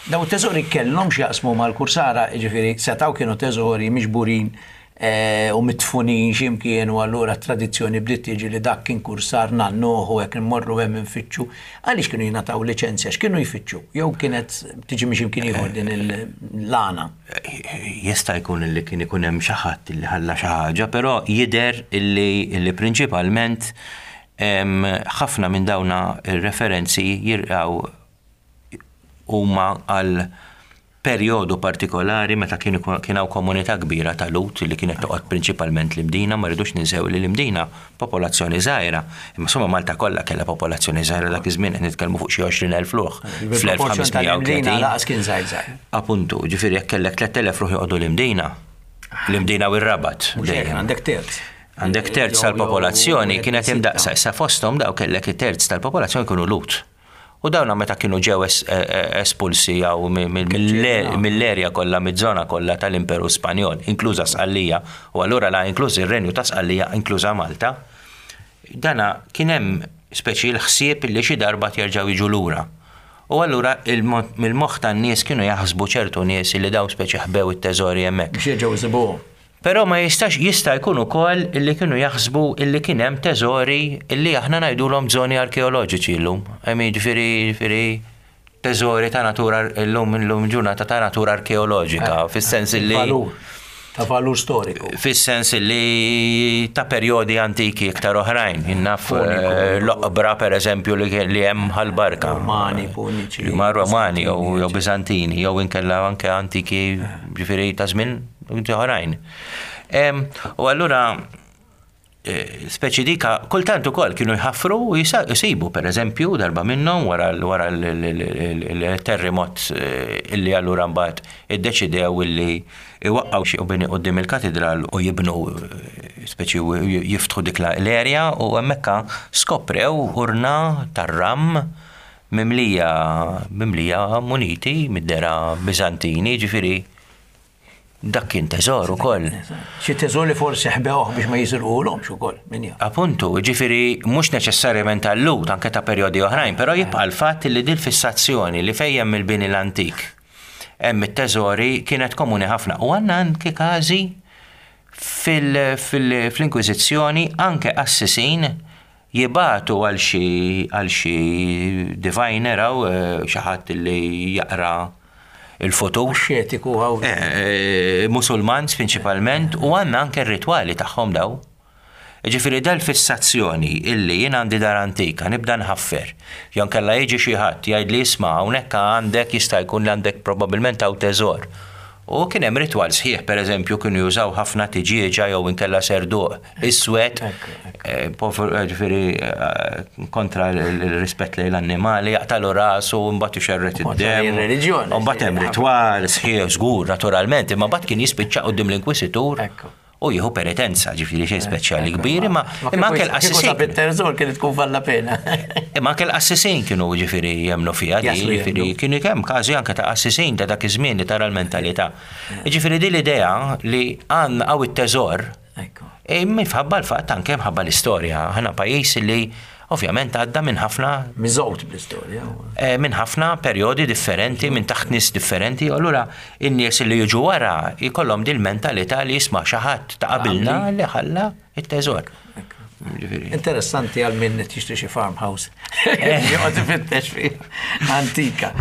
Daw it-teżori kellhom x'jaqsmu mal-kursara, jiġifieri setgħu kienu teżori miġburin eh, u mitfunin x'imkien u allura t-tradizzjoni bdiet tiġi li dak kien kursar nannuh u hekk immorru hemm infittxu. Għaliex kienu jingħataw liċenzja, x'kienu jfittxu? Jew kienet tiġi minn x'imkien ieħor din il-lana? Jista' jkun li kien ikun hemm xi ħadd li ħalla xi ħaġa, però jidher illi, illi prinċipalment ħafna minn dawna ir-referenzi jirqaw huma għal perjodu partikolari meta kien kien hawn komunità kbira ta' Lut li kienet toqgħod prinċipalment l-Imdina, ma rridux ninsew li l-Imdina popolazzjoni żgħira. Imma insomma Malta kollha kellha popolazzjoni żgħira dak iż-żmien qed nitkellmu fuq xi għoxrin elf ruħ Il-proporzjon tal-Imdina laqas kien żgħir żgħir. Appuntu, ġifieri jekk kellek tlett elef ruħ joqogħdu l-Imdina, l-Imdina u r-Rabat. Mhux hekk, għandek terz. Għandek terz tal-popolazzjoni kienet imdaqsa, issa fosthom daw kellek it-terz tal-popolazzjoni kienu Lut. U dawna meta kienu ġew es-, e-, e-, espulsi jew mi-, mi-, mill-erja kollha, miż-żona kollha tal-Imperu Spanjol, inkluża Sqallija, u allura la inkluż ir-Renju ta' Sqallija, inkluża Malta, dana kien hemm speċi l-ħsieb li xi darba jerġgħu jiġu lura. U allura il-mo-, mill-moħħ tan-nies kienu jaħsbu ċertu nies li daw speċi ħbew it-teżori hemmhekk. Biex jerġgħu jsibuhom. Però ma jistax, jista' jkun ukoll illi kienu jaħsbu illi kien hemm teżori illi aħna ngħidulhom żoni arkeoloġiċi llum. Hemm jiġifieri, jiġifieri teżori ta' natura llum, illum ġurnata ta' natura arkeoloġika, Eh, fis-sens illi Valur, ta' valur storiku. Fis-sens illi ta' perjodi antiki iktar oħrajn. Innaf, Puniku. eh, l-oqbra per eżempju li kien, li hemm ħal-barka. Romani, Puniċi, Li huma Romani jew, Bizantini, jew Bizantini, jew inkella anke antiki, ġifieri ta' żmien oħrajn. Em, u allura, eh, speċi dika, kultant ukoll kienu jħaffru u jisa-, jisibu, per eżempju, darba minnhom wara l-, wara l-, l-, l-, l-, il-terremot, eh, illi allura mbagħad iddeċidew illi iwaqqgħu xi bini quddiem il-katedral u jibnu, eh, speċi u j-, jiftħu dik la-, l-erja u hemmhekk skoprew urna tar-ram mimlija, mimlija muniti mid-dera Bizantini, ġifieri dak kien teżor ukoll. Xi teżor li forsi ħbewh biex ma jisirquhomx ukoll, min jaf. Appuntu, ġifieri mhux neċessarjament tal-Lut, anke ta' perjodi oħrajn, però jibqa' l-fatt li din fissazzjoni li fejn hemm il-bini l-antik hemm it-teżori kienet komuni ħafna. U għandna anke każi fil-, fil-, fl-Inkwiżizzjoni anke qassisin jibatu għal xi, għal xi diviner aw, eh, xi ħadd li jaqra il-futur. Xetiku għaw. Eh, eh, Musulman prinċipalment, u għandna anke r-ritwali tagħhom daw. Ġifieri dal-fissazzjoni illi jien għandi dar antika, nibda nħaffer. Jew inkella jiġi xi ħadd jgħid li isma' hawnhekk għandek jista' jkun li għandek probabbilment hawn teżor. U kien hemm ritwal sħiħ, pereżempju, kienu jużaw ħafna tiġieġa jew inkella serduq iswed, Ekku, ekku. eh, povru, eh, ġifieri, eh, kontra l-, l-, l-rispett lejn l-annimali, jaqtalu rasu u mbagħad ixerret Kontra id-demm. ir-reliġjoni. U mbagħad hemm ritwal sħiħ żgur, naturalment, imma mbagħad kien jispiċċa quddiem l-Inkwisitur Ekku. u jieħu penitenza, ġifieri xejn speċjali Ekku, kbir, imma ma imma anke kieku l-qassisin sab it-teżor kienet tkun valla pena. Imma anke l-qassisin kienu ġifieri jemmnu fiha di, Jaslu ġifieri jemmnu. kienu kemm każi anke ta' qassisin ta' dak iż-żmien li tara l-mentalità. Ġifieri din l-idea li għandna hawn it-teżor, Ekku. e minħabba l-fatt anke mħabba l-istorja. Aħna pajjiż li ovvjament għadda minn ħafna Miżgħud bl-istorja. Eh, minn ħafna perjodi differenti, minn taħt nies differenti, u allura in-nies li jiġu wara jkollhom din mentalità li jisma' xi ħadd ta' qabilna li ħalla it-teżor. Ġifieri. Interessanti għal min qed jixtri xi farmhouse. Joqgħod ifittex fi antika.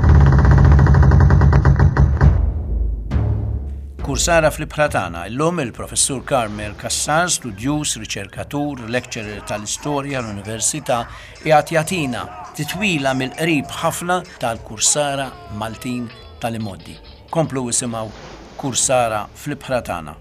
Kursara fl-ibħra tagħna, illum il-professur Carmel Cassar, studjuż, riċerkatur, lecturer tal-istorja l-Università, qiegħed jagħtina titwila mill-qrib ħafna tal-Kursara Maltin tal-imgħoddi. Komplu isimgħu Kursara fl-ibħra tagħna.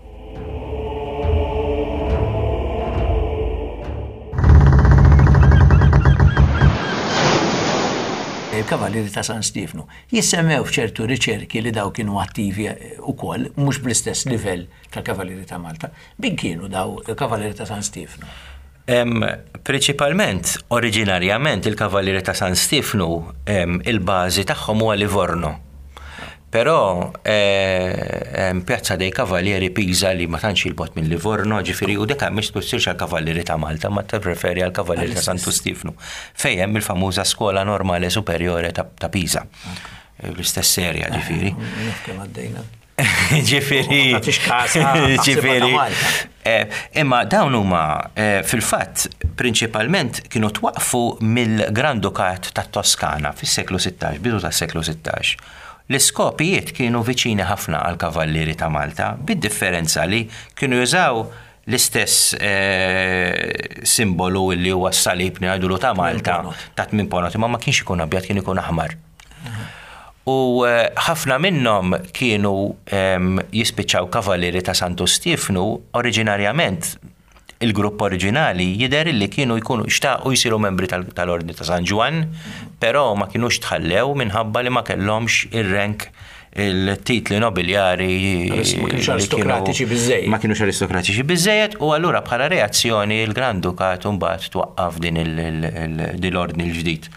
Il-Kavallieri ta' San Stiefnu jissemmew f'ċertu riċerki li daw kienu attivi ukoll, mhux bl-istess livell tal-Kavallieri ta' Malta. Min kienu daw il-Kavallieri ta' San Stiefnu? Em, prinċipalment, oriġinarjament, il-Kavallieri ta' San Stiefnu, em, il-bażi tagħhom huwa Livorno. Però, eh, em, Piazza dei Cavalieri Pisa li ma tantx il-bot minn Livorno, ġifieri, u deka mhix tfissirx għall-Kavallieri ta' Malta, ma tirreferi għall-Kavallieri ta' Santu Stiefnu, fejn hemm il-famuża Skola Normale Superiore ta', ta' Pisa. L-istess serja, ġifieri. Naf kemm għaddejna. Ġifieri. Ma tagħtix kas, ah, taħsibha ta' Ġifieri. Malta. eh, Imma dawn huma eh, fil-fatt prinċipalment kienu twaqfu mill-Gran Dukat tat Toskana fis-seklu sittax, bidu tas-seklu sittax. L-iskopijiet kienu viċini ħafna għal kavallieri ta' Malta, bid-differenza li kienu jużaw l-istess eh, simbolu li huwa s-salib ngħidulu ta' Malta ta' tmien ponot, imma ma kienx ikun abjad, kien ikun aħmar. U eh, ħafna minnhom kienu em, jispiċċaw kavallieri ta' Santu Stiefnu. Oriġinarjament il-grupp oriġinali jidher li kienu jkunu xtaqu jsiru membri tal- tal-Ordni ta' San Ġwann, però ma kienux tħallew minħabba li ma kellhomx ir-rank, il-titli nobiljari. Ma kinux li kienu- aristokratiċi biżżejjed. Ma kienux aristokratiċi biżżejjed u allura bħala reazzjoni il-Gran Dukat mbagħad twaqqaf din il- il- il- din l-ordni l-ġdid.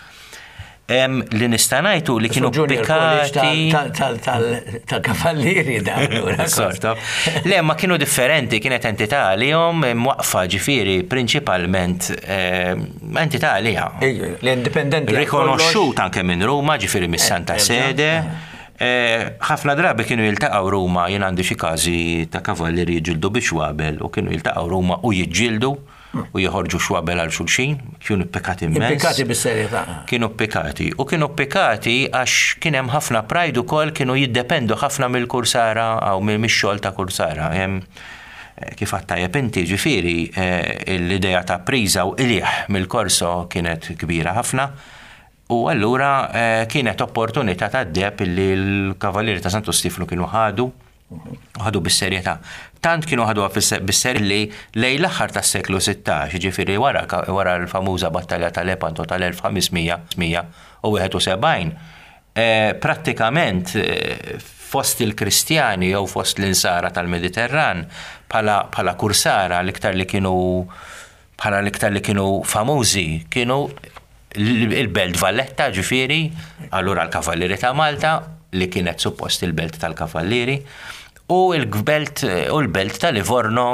Em, Li nista' ngħidu li kienu Junior College pikkati. tal- tal- tal- Tal-kavallieri da. allura. Sort of. Le, ma kienu differenti, kienet entità għalihom mwaqfa, ġifieri, prinċipalment eh, entità għaliha. Ejju, l-indipendenti. għal Rikonoxxut anke minn Ruma, ġifieri mis-Santa Eh, Sede. Eh, Ħafna drabi kienu jiltaqgħu Ruma, jien għandi xi każi ta' kavallieri jiġġieldu bi xwabel u kienu jiltaqgħu Ruma u jiġġieldu u joħorġu xwabel għal xulxin, kienu pikkati immens. Impikkati bis-serjetà. Kienu pikkati. U kienu pikkati għax kien hemm ħafna pride ukoll, kienu jiddependu ħafna mill-kursara għaw mix-xogħol ta' kursara. Hemm, eh, Kif għattajab inti, ġifieri, eh, l-idea ta' priża u qligħ mill-korso kienet kbira ħafna. U allura eh, kienet opportunità ta' deheb illi l-Kavallieri ta' Santu Stiflu kienu ħadu u ħadu bis-serjetà. Tant kienu ħaduha bis-serjetà li lejn l-aħħar tas-seklu sittax, ġifieri wara wara l-famuża battalja tal-Lepanto tal-elf ħames mija u wieħed u sebgħin, eh, prattikament eh, fost il-Kristjani jew fost l-insara tal-Mediterran bħala bħala kursara l-iktar li kienu bħala l-iktar li kienu famużi kienu il-Belt Valletta, ġifieri, allura l-Kavallieri ta' Malta li kienet suppost il-Belt tal-Kavallieri u l-Belt u l-Belt ta' Livorno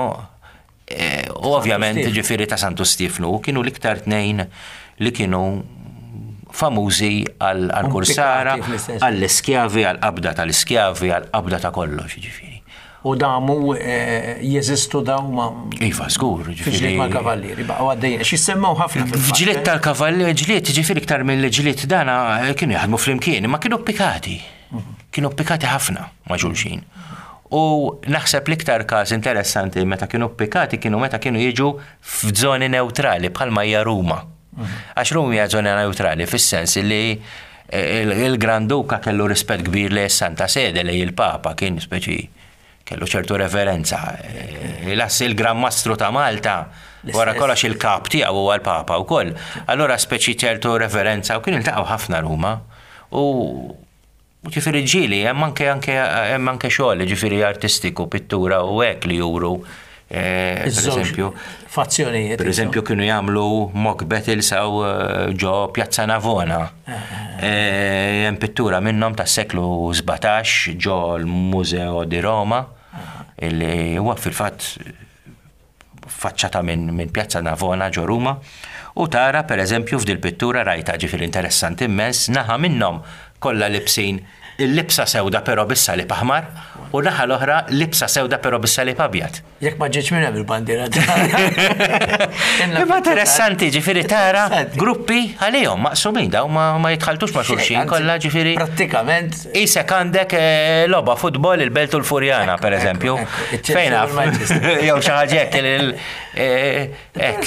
eh, u ovvjament Stiefnu. ġifieri ta' Santu Stifnu kienu l-iktar tnejn li kienu famużi għal għal kursara, Pikkati fl-istess. għall-iskjavi, għall-qabda tal-iskjavi, għall-qabda ta' kollox, ġifieri. U damu eh, jeżistu daw ma Iva, żgur, fi ġifieri. ġlied mal-kavallieri, baqgħu għaddejjin. X'jissemmew ħafna fil-fatt, F'ġlied eh? tal-kavalli, ġlied, ġifieri iktar mill ġlied dana eh, kienu jaħdmu flimkien, ma kienu pikkati. Kienu pikkati ħafna ma' xulxin. U naħseb l-iktar każ interessanti meta kienu pikkati kienu meta kienu jiġu f'żoni neutrali bħalma hija Ruma. Għax Ruma hija żona neutrali fis-sens li eh, il- il-Granduka kellu rispett kbir li Santa Sede, li il-Papa kien speċi kellu ċertu reverenza. Eh, Las il-Gran Mastru ta' Malta, wara L-istess. kollox il-kap tiegħu huwa l-Papa wkoll. Allura speċi ċertu reverenza u kienu iltaqgħu ħafna Ruma. U u ġifieri ġieli, hemm anke anke hemm anke xogħol ġifieri artistiku, pittura u hekk li juru eh, per Iż-żewġ eżempju, fazzjonijiet. per eżempju kienu jagħmlu mock battles aw eh, ġo Piazza Navona. Eh, Hemm pittura minnhom tas-seklu sbatax ġo l-Museo di Roma illi huwa fil-fatt faċċata minn min Piazza Navona ġo Ruma u tara per eżempju f'dil pittura rajta, ġifieri interessanti immens, naħa minnhom kollha libsin il-libsa sewda però bis-salib aħmar u naħa l-oħra libsa sewda però bis-salib abjad. Jekk ma ġietx minn hemm il-bandiera. Imma interessanti, ġifieri tara Interessanti. gruppi għalihom maqsumin daw ma, ma jitħaltux ma' xulxin kollha, ġifieri. Prattikament Isek għandek eh, logħba futbol, il-Belt u l-Furjana, per eżempju. ekku, iċ-Chelsea Fejn u naf? l-Manchester. Jew xi ħaġa hekk il- eh, hekk.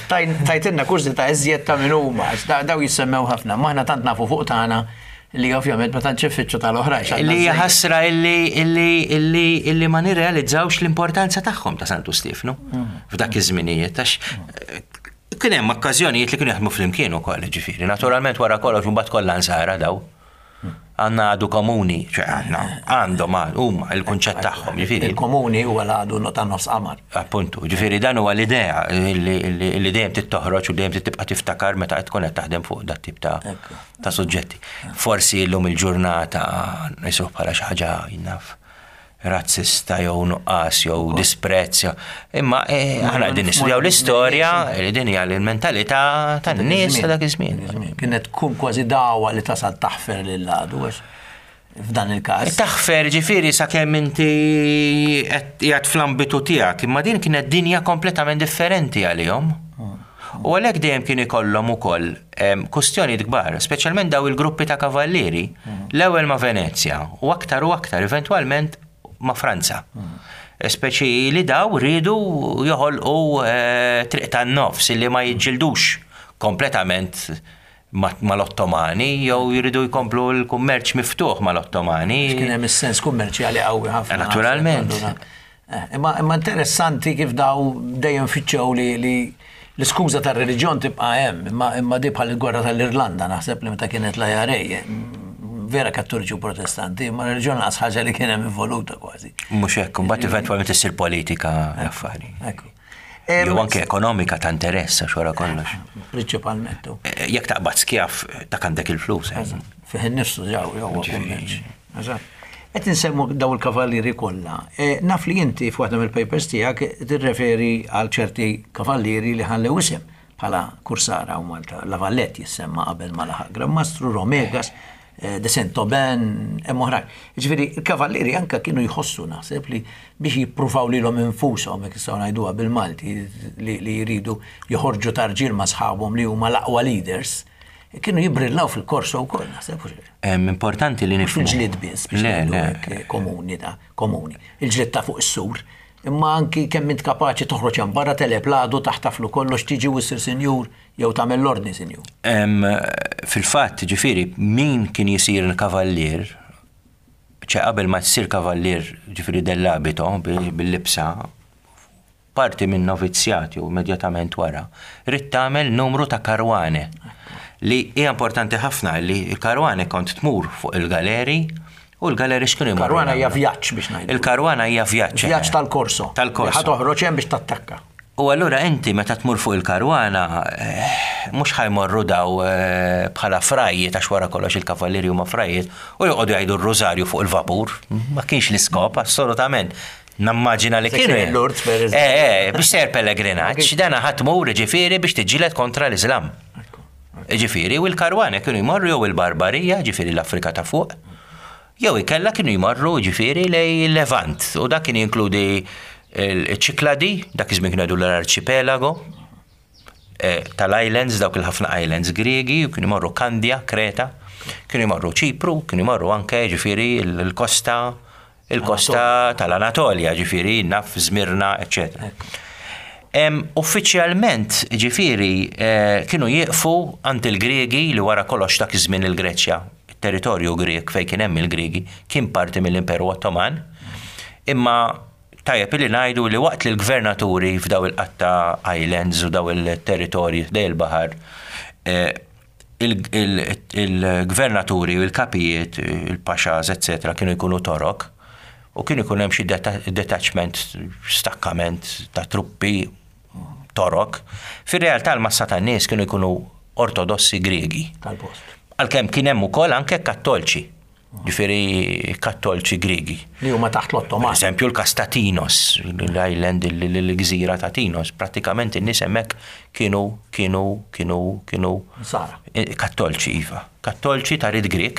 Tajn- Tajtilna kurżità iżjed ta' min huma, għax da- daw jissemmew ħafna, maħna tant nafu fuq tagħna li ovvjament ma tantx iffittxu tal-oħrajn. x'għandna Li hija żejjed. ħasra illi illi illi illi ma nirrealizzawx l-importanza tagħhom ta' Santu Stifnu f'dak iż-żminijiet għax eh, kien hemm okkażjonijiet li kienu jaħdmu flimkien ukoll, ġifieri. Naturalment wara kollox imbagħad kollha nsara daw. Għandna għadu komuni, ċe għandna, għandhom huma il-kunċett tagħhom, ġifieri. Il-komuni huwa l-għadu ta' nofs qamar. Appuntu, ġifieri dan huwa l-idea li li- li dejjem tittoħroġ u dejjem tibqa' tiftakar meta qed tkun qed taħdem fuq dat tip ta' Ekku. ta' suġġetti. Forsi llum il-ġurnata nisuh bħala xi ħaġa, jien naf, razzista jew nuqqas jew disprezz. jew- Imma eh, aħna qegħdin nistudjaw l-istorja li din hija l-mentalità tan-nies ta' dak iż-żmien. Kienet tkun kważi dawa li tasal taħfer lil għadu għax. f'dan il-każ. Taħfer ġifieri sakemm inti qiegħed fl-ambitu tiegħek, imma din kienet dinja kompletament differenti għalihom. U għalhekk dejjem kien ikollhom ukoll kustjonijiet kbar, speċjalment daw il-gruppi ta' kavallieri, l-ewwel ma' Venezja u aktar u aktar eventwalment ma' Franza. Speċi li daw riedu joħolqu triq tan-nofs li ma jiġġildux kompletament mal-Ottomani jew jridu jkomplu l-kummerċ miftuħ mal-Ottomani. Kien hemm is-sens kummerċjali qawwi ħafna. Naturalment. Imma imma interessanti kif daw dejjem fittxew li li l-iskuża tar-reliġjon tibqa' hemm, imma imma di bħal il-gwerra tal-Irlanda naħseb li meta kienet l-I R A, vera Kattoliċi u Protestanti, imma r-reliġjon lanqas ħaġa li kien hemm involuta kważi. Mhux hekk, imbagħad eventwalment issir politika affari. Ekku. Jew anke ekonomika ta' interess għax wara kollox. Prinċipalment. Jekk taqbad skjaf ta' għandek il-flus. Fih innifsu ġaw, jew kummerċ. Qed insemmu daw il-kavallieri kollha. Naf li inti f'waħda mill-papers tiegħek tirreferi għal ċerti kavallieri li ħallew isem bħala Kursara u Malta. La Valette jissemma qabel ma laħaq Gran Mastru, Romegas, de Saint-Aubin, hemm oħrajn. Ġifieri, il-kavallieri anka kienu jħossu naħseb li biex jippruvaw lilhom infushom, jekk nistgħu ngħiduha bil-Malti, li jridu joħorġu tarġil ma' sħabhom li huma l-aqwa leaders, kienu jibrillaw fil-korso wkoll naħseb. Importanti li nifhmu. Fil-ġlied biss biex ngħidu hekk komuni ta' komuni. Il-ġlied ta' fuq is-sur, imma anki kemm int kapaċi toħroġ hemm barra teleb l-għadu taħtaflu kollox tiġi u ssir sinjur jew tagħmel l-ordni sinjur. Fil-fatt, ġifieri, min kien jisir kavallier, ċe qabel ma tsir kavallier ġifieri dell'abito bil-libsa, parti minn novizzjati u immedjatament wara, ridt tagħmel numru ta' karwane. Li hija importanti ħafna li l-karwane kont tmur fuq il-galeri u l-galeri x'kienu jmorru. Karwana hija vjaġġ biex ngħidu. Il-karwana hija vjaġġ. Vjaġġ tal-korso. Tal-korso. Ħa toħroġ hemm biex tattakka. U allura inti meta tmur fuq il-karwana, mhux ħajmorru daw bħala frajiet għax wara kollox il-kavallieri huma frajiet u joqogħdu jgħidu r-rużarju fuq il-vapur. Ma kienx l-iskop assolutament. Nammaġina li kienu. Lourdes, per eżempju. Eh, eh, biex ser pellegrinaġġ, dana ħadd tmur ġifieri biex tiġġieled kontra l-Iżlam. Ġifieri, u l-karwana kienu jmorru jew il-Barbarija, ġifieri l-Afrika ta' fuq, jew ikella kienu jmorru ġifieri lej il-Levant, u dak kien jinkludi il-Ċikladi, dak iż-żmien kienu jgħidu l-arċipelago, tal-islands, dawk il-ħafna islands Griegi, u kienu jmorru Kandja, Kreta, kienu jmorru Ċipru, kienu jmorru anke ġifieri l-kosta, il-kosta tal-Anatolja, ġifieri naf Zmirna, eccetera. Uffiċjalment, ġifieri, kienu jieqfu għand il-Griegi li wara kollox dak iż-żmien il-Greċja, il-territorju Grieg fejn kien hemm il-Griegi, kien parti mill-Imperu Ottoman, imma tajjeb li ngħidu li waqt li l-gvernaturi f'daw il-qatta islands u daw il-territorji dej il-baħar, il-gvernaturi u l-kapijiet, il-paxas, eccetera, kienu jkunu Torok, u kienu jkun hemm xi detachment, stakkament ta' truppi Torok. Fir-realtà l-massa tan-nies kienu jkunu ortodossi Griegi. Tal-post. Għalkemm kien hemm ukoll anke kattolċi, ġifieri kattolċi Griegi. Li huma taħt l-Ottoman. Per eżempju l-kas ta' Tinos, l-island, l-gżira ta' Tinos, prattikament in-nies hemmhekk kienu, kienu, kienu, kienu Sara. Kattolċi, iva. Kattolċi ta' rid Grieg.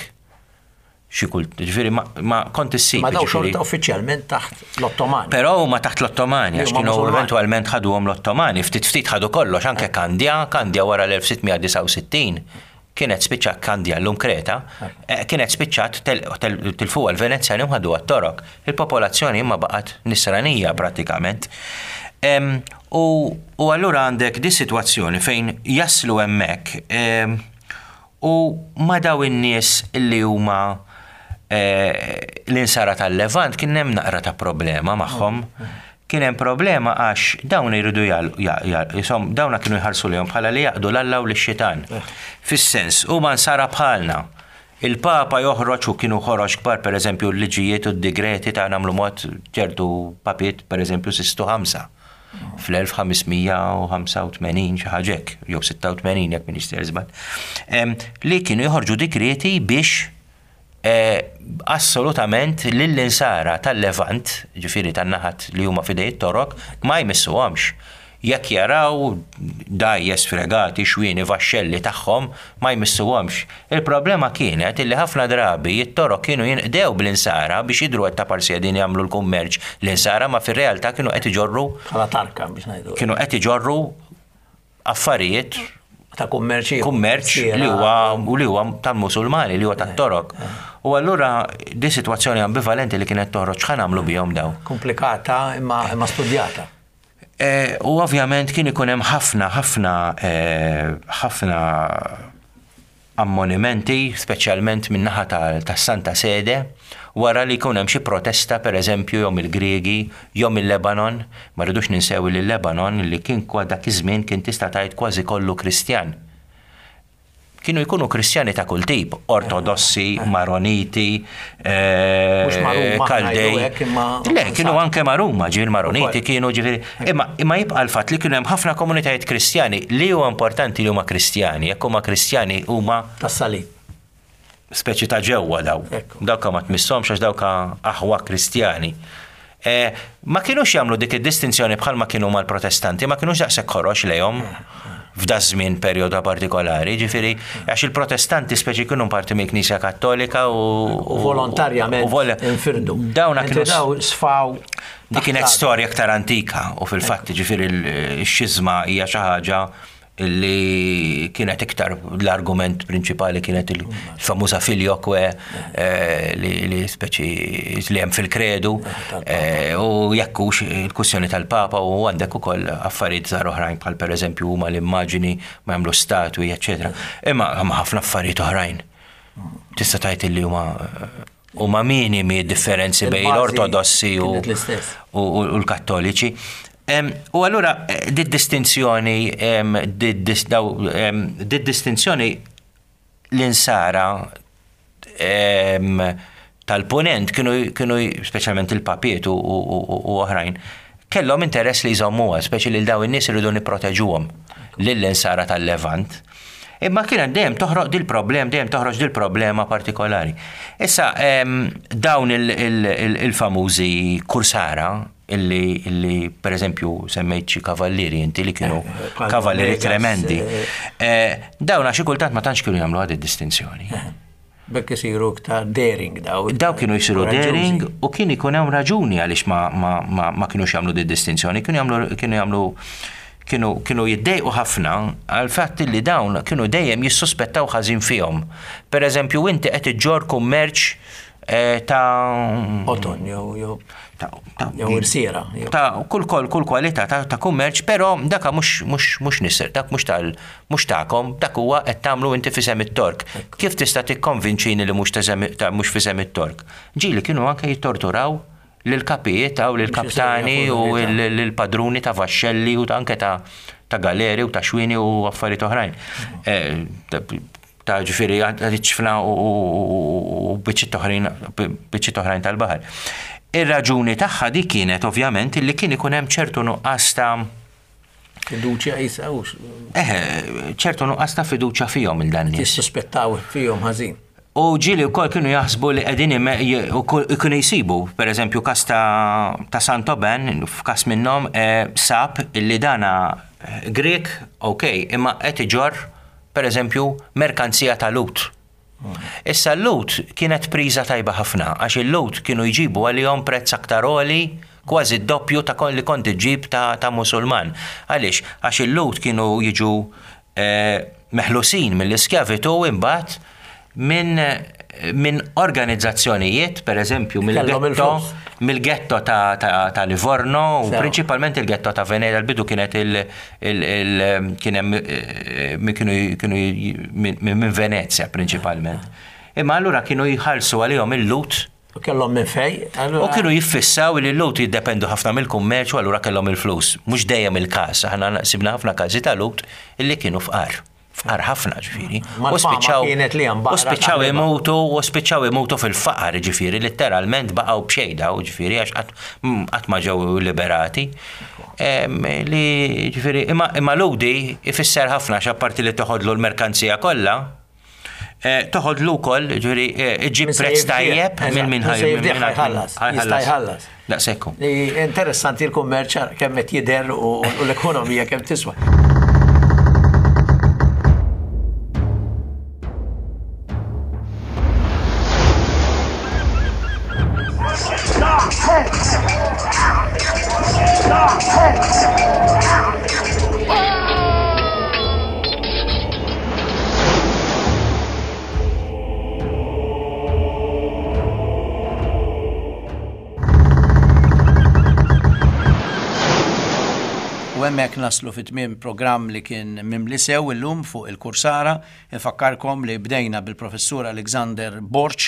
Xi kult, ġifieri ma, ma kont issib, Ma daw ġifieri. xorta uffiċjalment taħt l-Ottomani. Però huma taħt l-Ottomani, Li għax huma kienu Musulmani. eventwalment ħaduhom l-Ottomani, ftit ftit ħadu kollox, anke Kandja, Kandja wara l-elf sitt mija disgħa u sittin kienet spiċċat Kandja llum Kreta, eh, kienet spiċċat tel-, tel-, tilfuha l-Venezjani u ħaduha t-Torok. Il-popolazzjoni imma baqgħet nisranija pratikament. Em, u, u allura għandek di sitwazzjoni fejn jaslu hemmhekk, em, u ma daw in-nies illi huma eh, l-insara tal-Levant kien hemm naqra ta' problema magħhom. Kien hemm problema għax dawn iridu jal-, ja-, ja-, jisom, dawna kienu jħarsu lejhom bħala li jaqdu l-Alla u l-xitan. Fis-sens, huma nsara bħalna. Il-Papa joħroġ u kienu ħoroġ kbar, per eżempju, l-liġijiet u d-digreti ta' nagħmlu mod ċertu papiet, per eżempju, Sistu ħamsa. fl-elf ħames mija u ħamsa u tmenin, xi ħaġa hekk, jew sitta u tmenin, jekk m'iniex sejjer żball, em, li kienu joħorġu dikreti biex, eh, assolutament lill-insara tal-Levant, ġifieri tan-naħat li huma fidej it-Torok, ma jmissuhomx. Jekk jaraw dgħajjes, fregati, xwieni, vaxxelli tagħhom, ma jmissuhomx. Il-problema kienet illi ħafna drabi it-Torok kienu jinqdew bl-insara biex jidru qed ta' parsi qegħdin jagħmlu l-kummerċ l-insara, ma fir-realtà kienu qed iġorru Bħala tarka biex ngħidu. Kienu qed iġorru affarijiet Ta' kummerċ. Kummerċ li huwa li huwa tal-Musulmani, li huwa tat-Torok. U allura di sitwazzjoni ambivalenti li kienet toħroġ, x'ħa nagħmlu bihom daw? Komplikata imma imma studjata. Eh, U ovvjament kien ikun hemm ħafna ħafna eh, ħafna ammonimenti, speċjalment min-naħa tas-Santa Sede, wara li jkun hemm xi protesta, pereżempju, jew mill-Griegi jew mill-Lebanon. Ma rridux ninsew li l-Lebanon, li kien kwa dak iż-żmien kien tista' tgħid kważi kollu Kristjan. Kienu jkunu Kristjani ta' kull tip, Ortodossi, Maroniti, eh, Mhux Maruma, Kaldej. ngħidu hekk, imma- Le, kienu anke Maruma, ġifieri Maroniti Ukoll. kienu, ġifieri. Imma, imma jibqa' l-fatt li kienu hemm ħafna komunitajiet Kristjani. Li huwa importanti li huma Kristjani, jekk huma Kristjani huma Tas-salib. Speċi ta' ġewwa daw. Ekku. Dawka ma tmisshomx għax dawka aħwa Kristjani. Eh, ma kienux jagħmlu dik id-distinzjoni bħalma kienu mal-Protestanti, ma kienux daqshekk ħorox lejhom f'da żmien perjodu partikolari, ġifieri għax il-Protestanti speċi kienu parti mill-Knisja Kattolika u U volontarjament u vol- infirdu. Dawna Mentri kienu daw sfaw. Di kienet taħt storja aktar antika u fil-fatt, ġifieri, x-xizma hija xi ħaġa li kienet iktar l-argument prinċipali, kienet il-famuża filioque eh, li, li speċi li hemm fil-kredu eh, u jekk hux il-kwistjoni tal-Papa, u għandek ukoll affarijiet żgħar oħrajn, bħal pereżempju huma l-immaġini ma jagħmlu statwi, eċċetera. Imma hemm ħafna affarijiet oħrajn. Tista' tgħid li huma huma minimi differenzi bejn Il-bażi l-Ortodossi u kienet l-istess. u, u, u l-Kattoliċi. Em, U allura eh, di distinzjoni em, di dis- daw, em, di distinzjoni l-insara em, tal-ponent kienu, kienu speċjalment il-papiet u, u, u, u oħrajn, kellhom interess li jżommuha, speċi li daw in-nies iridu nipproteġuhom lill-insara tal-Levant. Imma kienet dejjem toħroq dil-problem, dejjem toħroġ dil-problema partikolari. Issa, em, dawn il- il- il- il-famużi kursara, illi, illi per eżempju semmejt xi kavallieri inti li kienu Eh, bħal kavallieri Vegas, tremendi. eh. Eh, Dawn xi kultant ma tantx kienu jagħmlu għad id-distinzjoni. Bekk isiru iktar daring daw. Daw kienu jisiru Koraġġużi. daring u kien ikun hemm raġuni għaliex ma, ma, ma, ma kienux jagħmlu di distinzjoni, kienu jagħmlu kienu jagħmlu kienu kienu jiddejqu ħafna għal fatt li dawn kienu dejjem jissuspettaw ħażin fihom. Per eżempju, inti qed iġġor kummerċ eh, ta' Oton, jew jew ta' ta' jew irsiera. jew- ta' kull kull kull kwalità ta', ta' kummerċ, però daka mhux mhux mhux nisser, dak mhux tal mhux tagħkom, dak huwa qed tagħmlu inti f'isem it-Tork. Kif tista' tikkonvinċini li mhux ta' ta' mhux f'isem it-Tork? Ġieli kienu anke jittorturaw lil kapijiet u lil kaptani u lil padruni ta' vaxxelli u ta' anke ta' ta' galeri u ta' xwini u affarijiet oħrajn. Eh, ta' ta' ġifieri ċfna u u biċċiet oħrajn biċċiet oħrajn tal-baħar. Ir-raġuni tagħha di kienet ovvjament li kien ikun hemm ċertu nuqqas ta' Fiduċja jisa u eh, ċertu nuqqas ta' fiduċja fihom il dan nies. Jissuspettaw fihom ħażin. U ġieli wkoll kienu jaħsbu li qegħdin ime- j- u kull- kienu jsibu, per eżempju, kas ta' ta' Santoben, f'kas minnhom eh, sab illi dana eh, Grek, ok, imma qed iġorr, per eżempju, merkanzija ta' Lhud. Issa l-Lhud kienet priża tajba ħafna, għax il-Lhud kienu jġibu għalihom prezz aktar għoli, kważi d-doppju ta' kon li kont iġġib ta', ta' Musulman. Għaliex? Għax il-Lhud kienu jiġu eh, meħlusin mill-iskjavitu imbagħad minn min organizzazzjonijiet, per eżempju, Kellhom mill-ghetto il-flus. mill-ghetto ta', ta, ta' Livorno u Sew. prinċipalment il-ghetto ta' Venezia. L-bidu kienet il, il, il kien hemm eh, kienu kienu minn minn Venezia prinċipalment. Imma allura kienu jħallsu għalihom il-Lhud U kellhom minn fej. u kienu jiffissaw li l-Lhud jiddependu ħafna mill-kummerċ u allura kellhom il-flus. Mhux dejjem il-każ, aħna sibna ħafna każi ta' Lhud illi kienu fqar. Fqar ħafna, ġifieri. Ma U l-fama spiċċaw kienet li hemm u baqra spiċċaw taħliba. imutu u spiċċaw imutu fil-faqar, ġifieri, letteralment baqgħu b'xejda, u ġifieri għax qatt mm, qatt ma ġew liberati. Em, Li ġifieri imma imma Lhudi ifisser ħafna, għax apparti li toħodlu l-merkanzija kollha, Eh, toħodlu wkoll, ġifieri eh, iġib Min se prezz jibdih, tajjeb eżatt, minn min min se jibdih ħajħallas, jista' jħallas. Daqshekk hu. Li Interessanti l-kummerċ kemm qed jidher u u l-ekonomija kemm tiswa. U hemmhekk naslu fit tmiem programm li kien mimli sew illum fuq il-Kursara. Infakkarkom li bdejna bil-professur Alexander Borg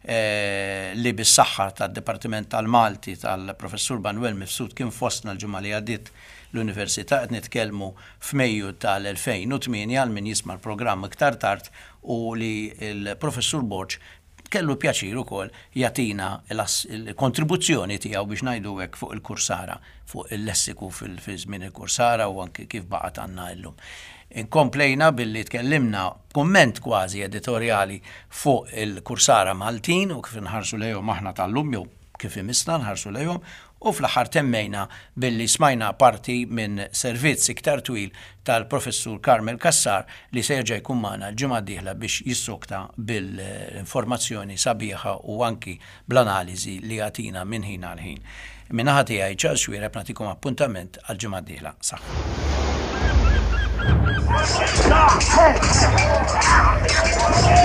eh, li bis-saħħa tad-Dipartiment tal-Malti tal-professur Manuel Mifsud kien fostna l-ġimgħa li għaddiet l-Università qed nitkellmu f'Mejju tal-elfejn u tmienja għal min jisma' l-programm iktar tard u li l-professur Borg kellu pjaċir ukoll jagħtina l-kontribuzzjoni tiegħu biex ngħidu hekk fuq il-Kursara, fuq il-lessiku fil-żmien il-Kursara u anki kif baqgħet għandna llum. Inkomplejna billi tkellimna kumment kważi editorjali fuq il-Kursara Maltin u kif nħarsu lejhom aħna tal-lum jew kif imissna nħarsu lejhom, u fl-aħħar temmejna billi smajna parti minn servizz iktar twil tal-professur Carmel Cassar li se jerġa' jkun magħna l-ġimgħa d-dieħla biex jissokta bil-informazzjoni sabiħa u anki bl-analiżi li jagħtina minn ħin għal ħin. Min-naħa tiegħi Charles Xuereb nagħtikom appuntament għall-ġimgħa d-dieħla. Saħħa. Stop!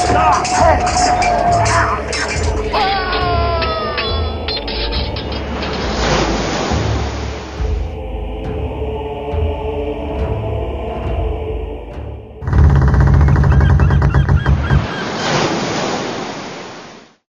Stop!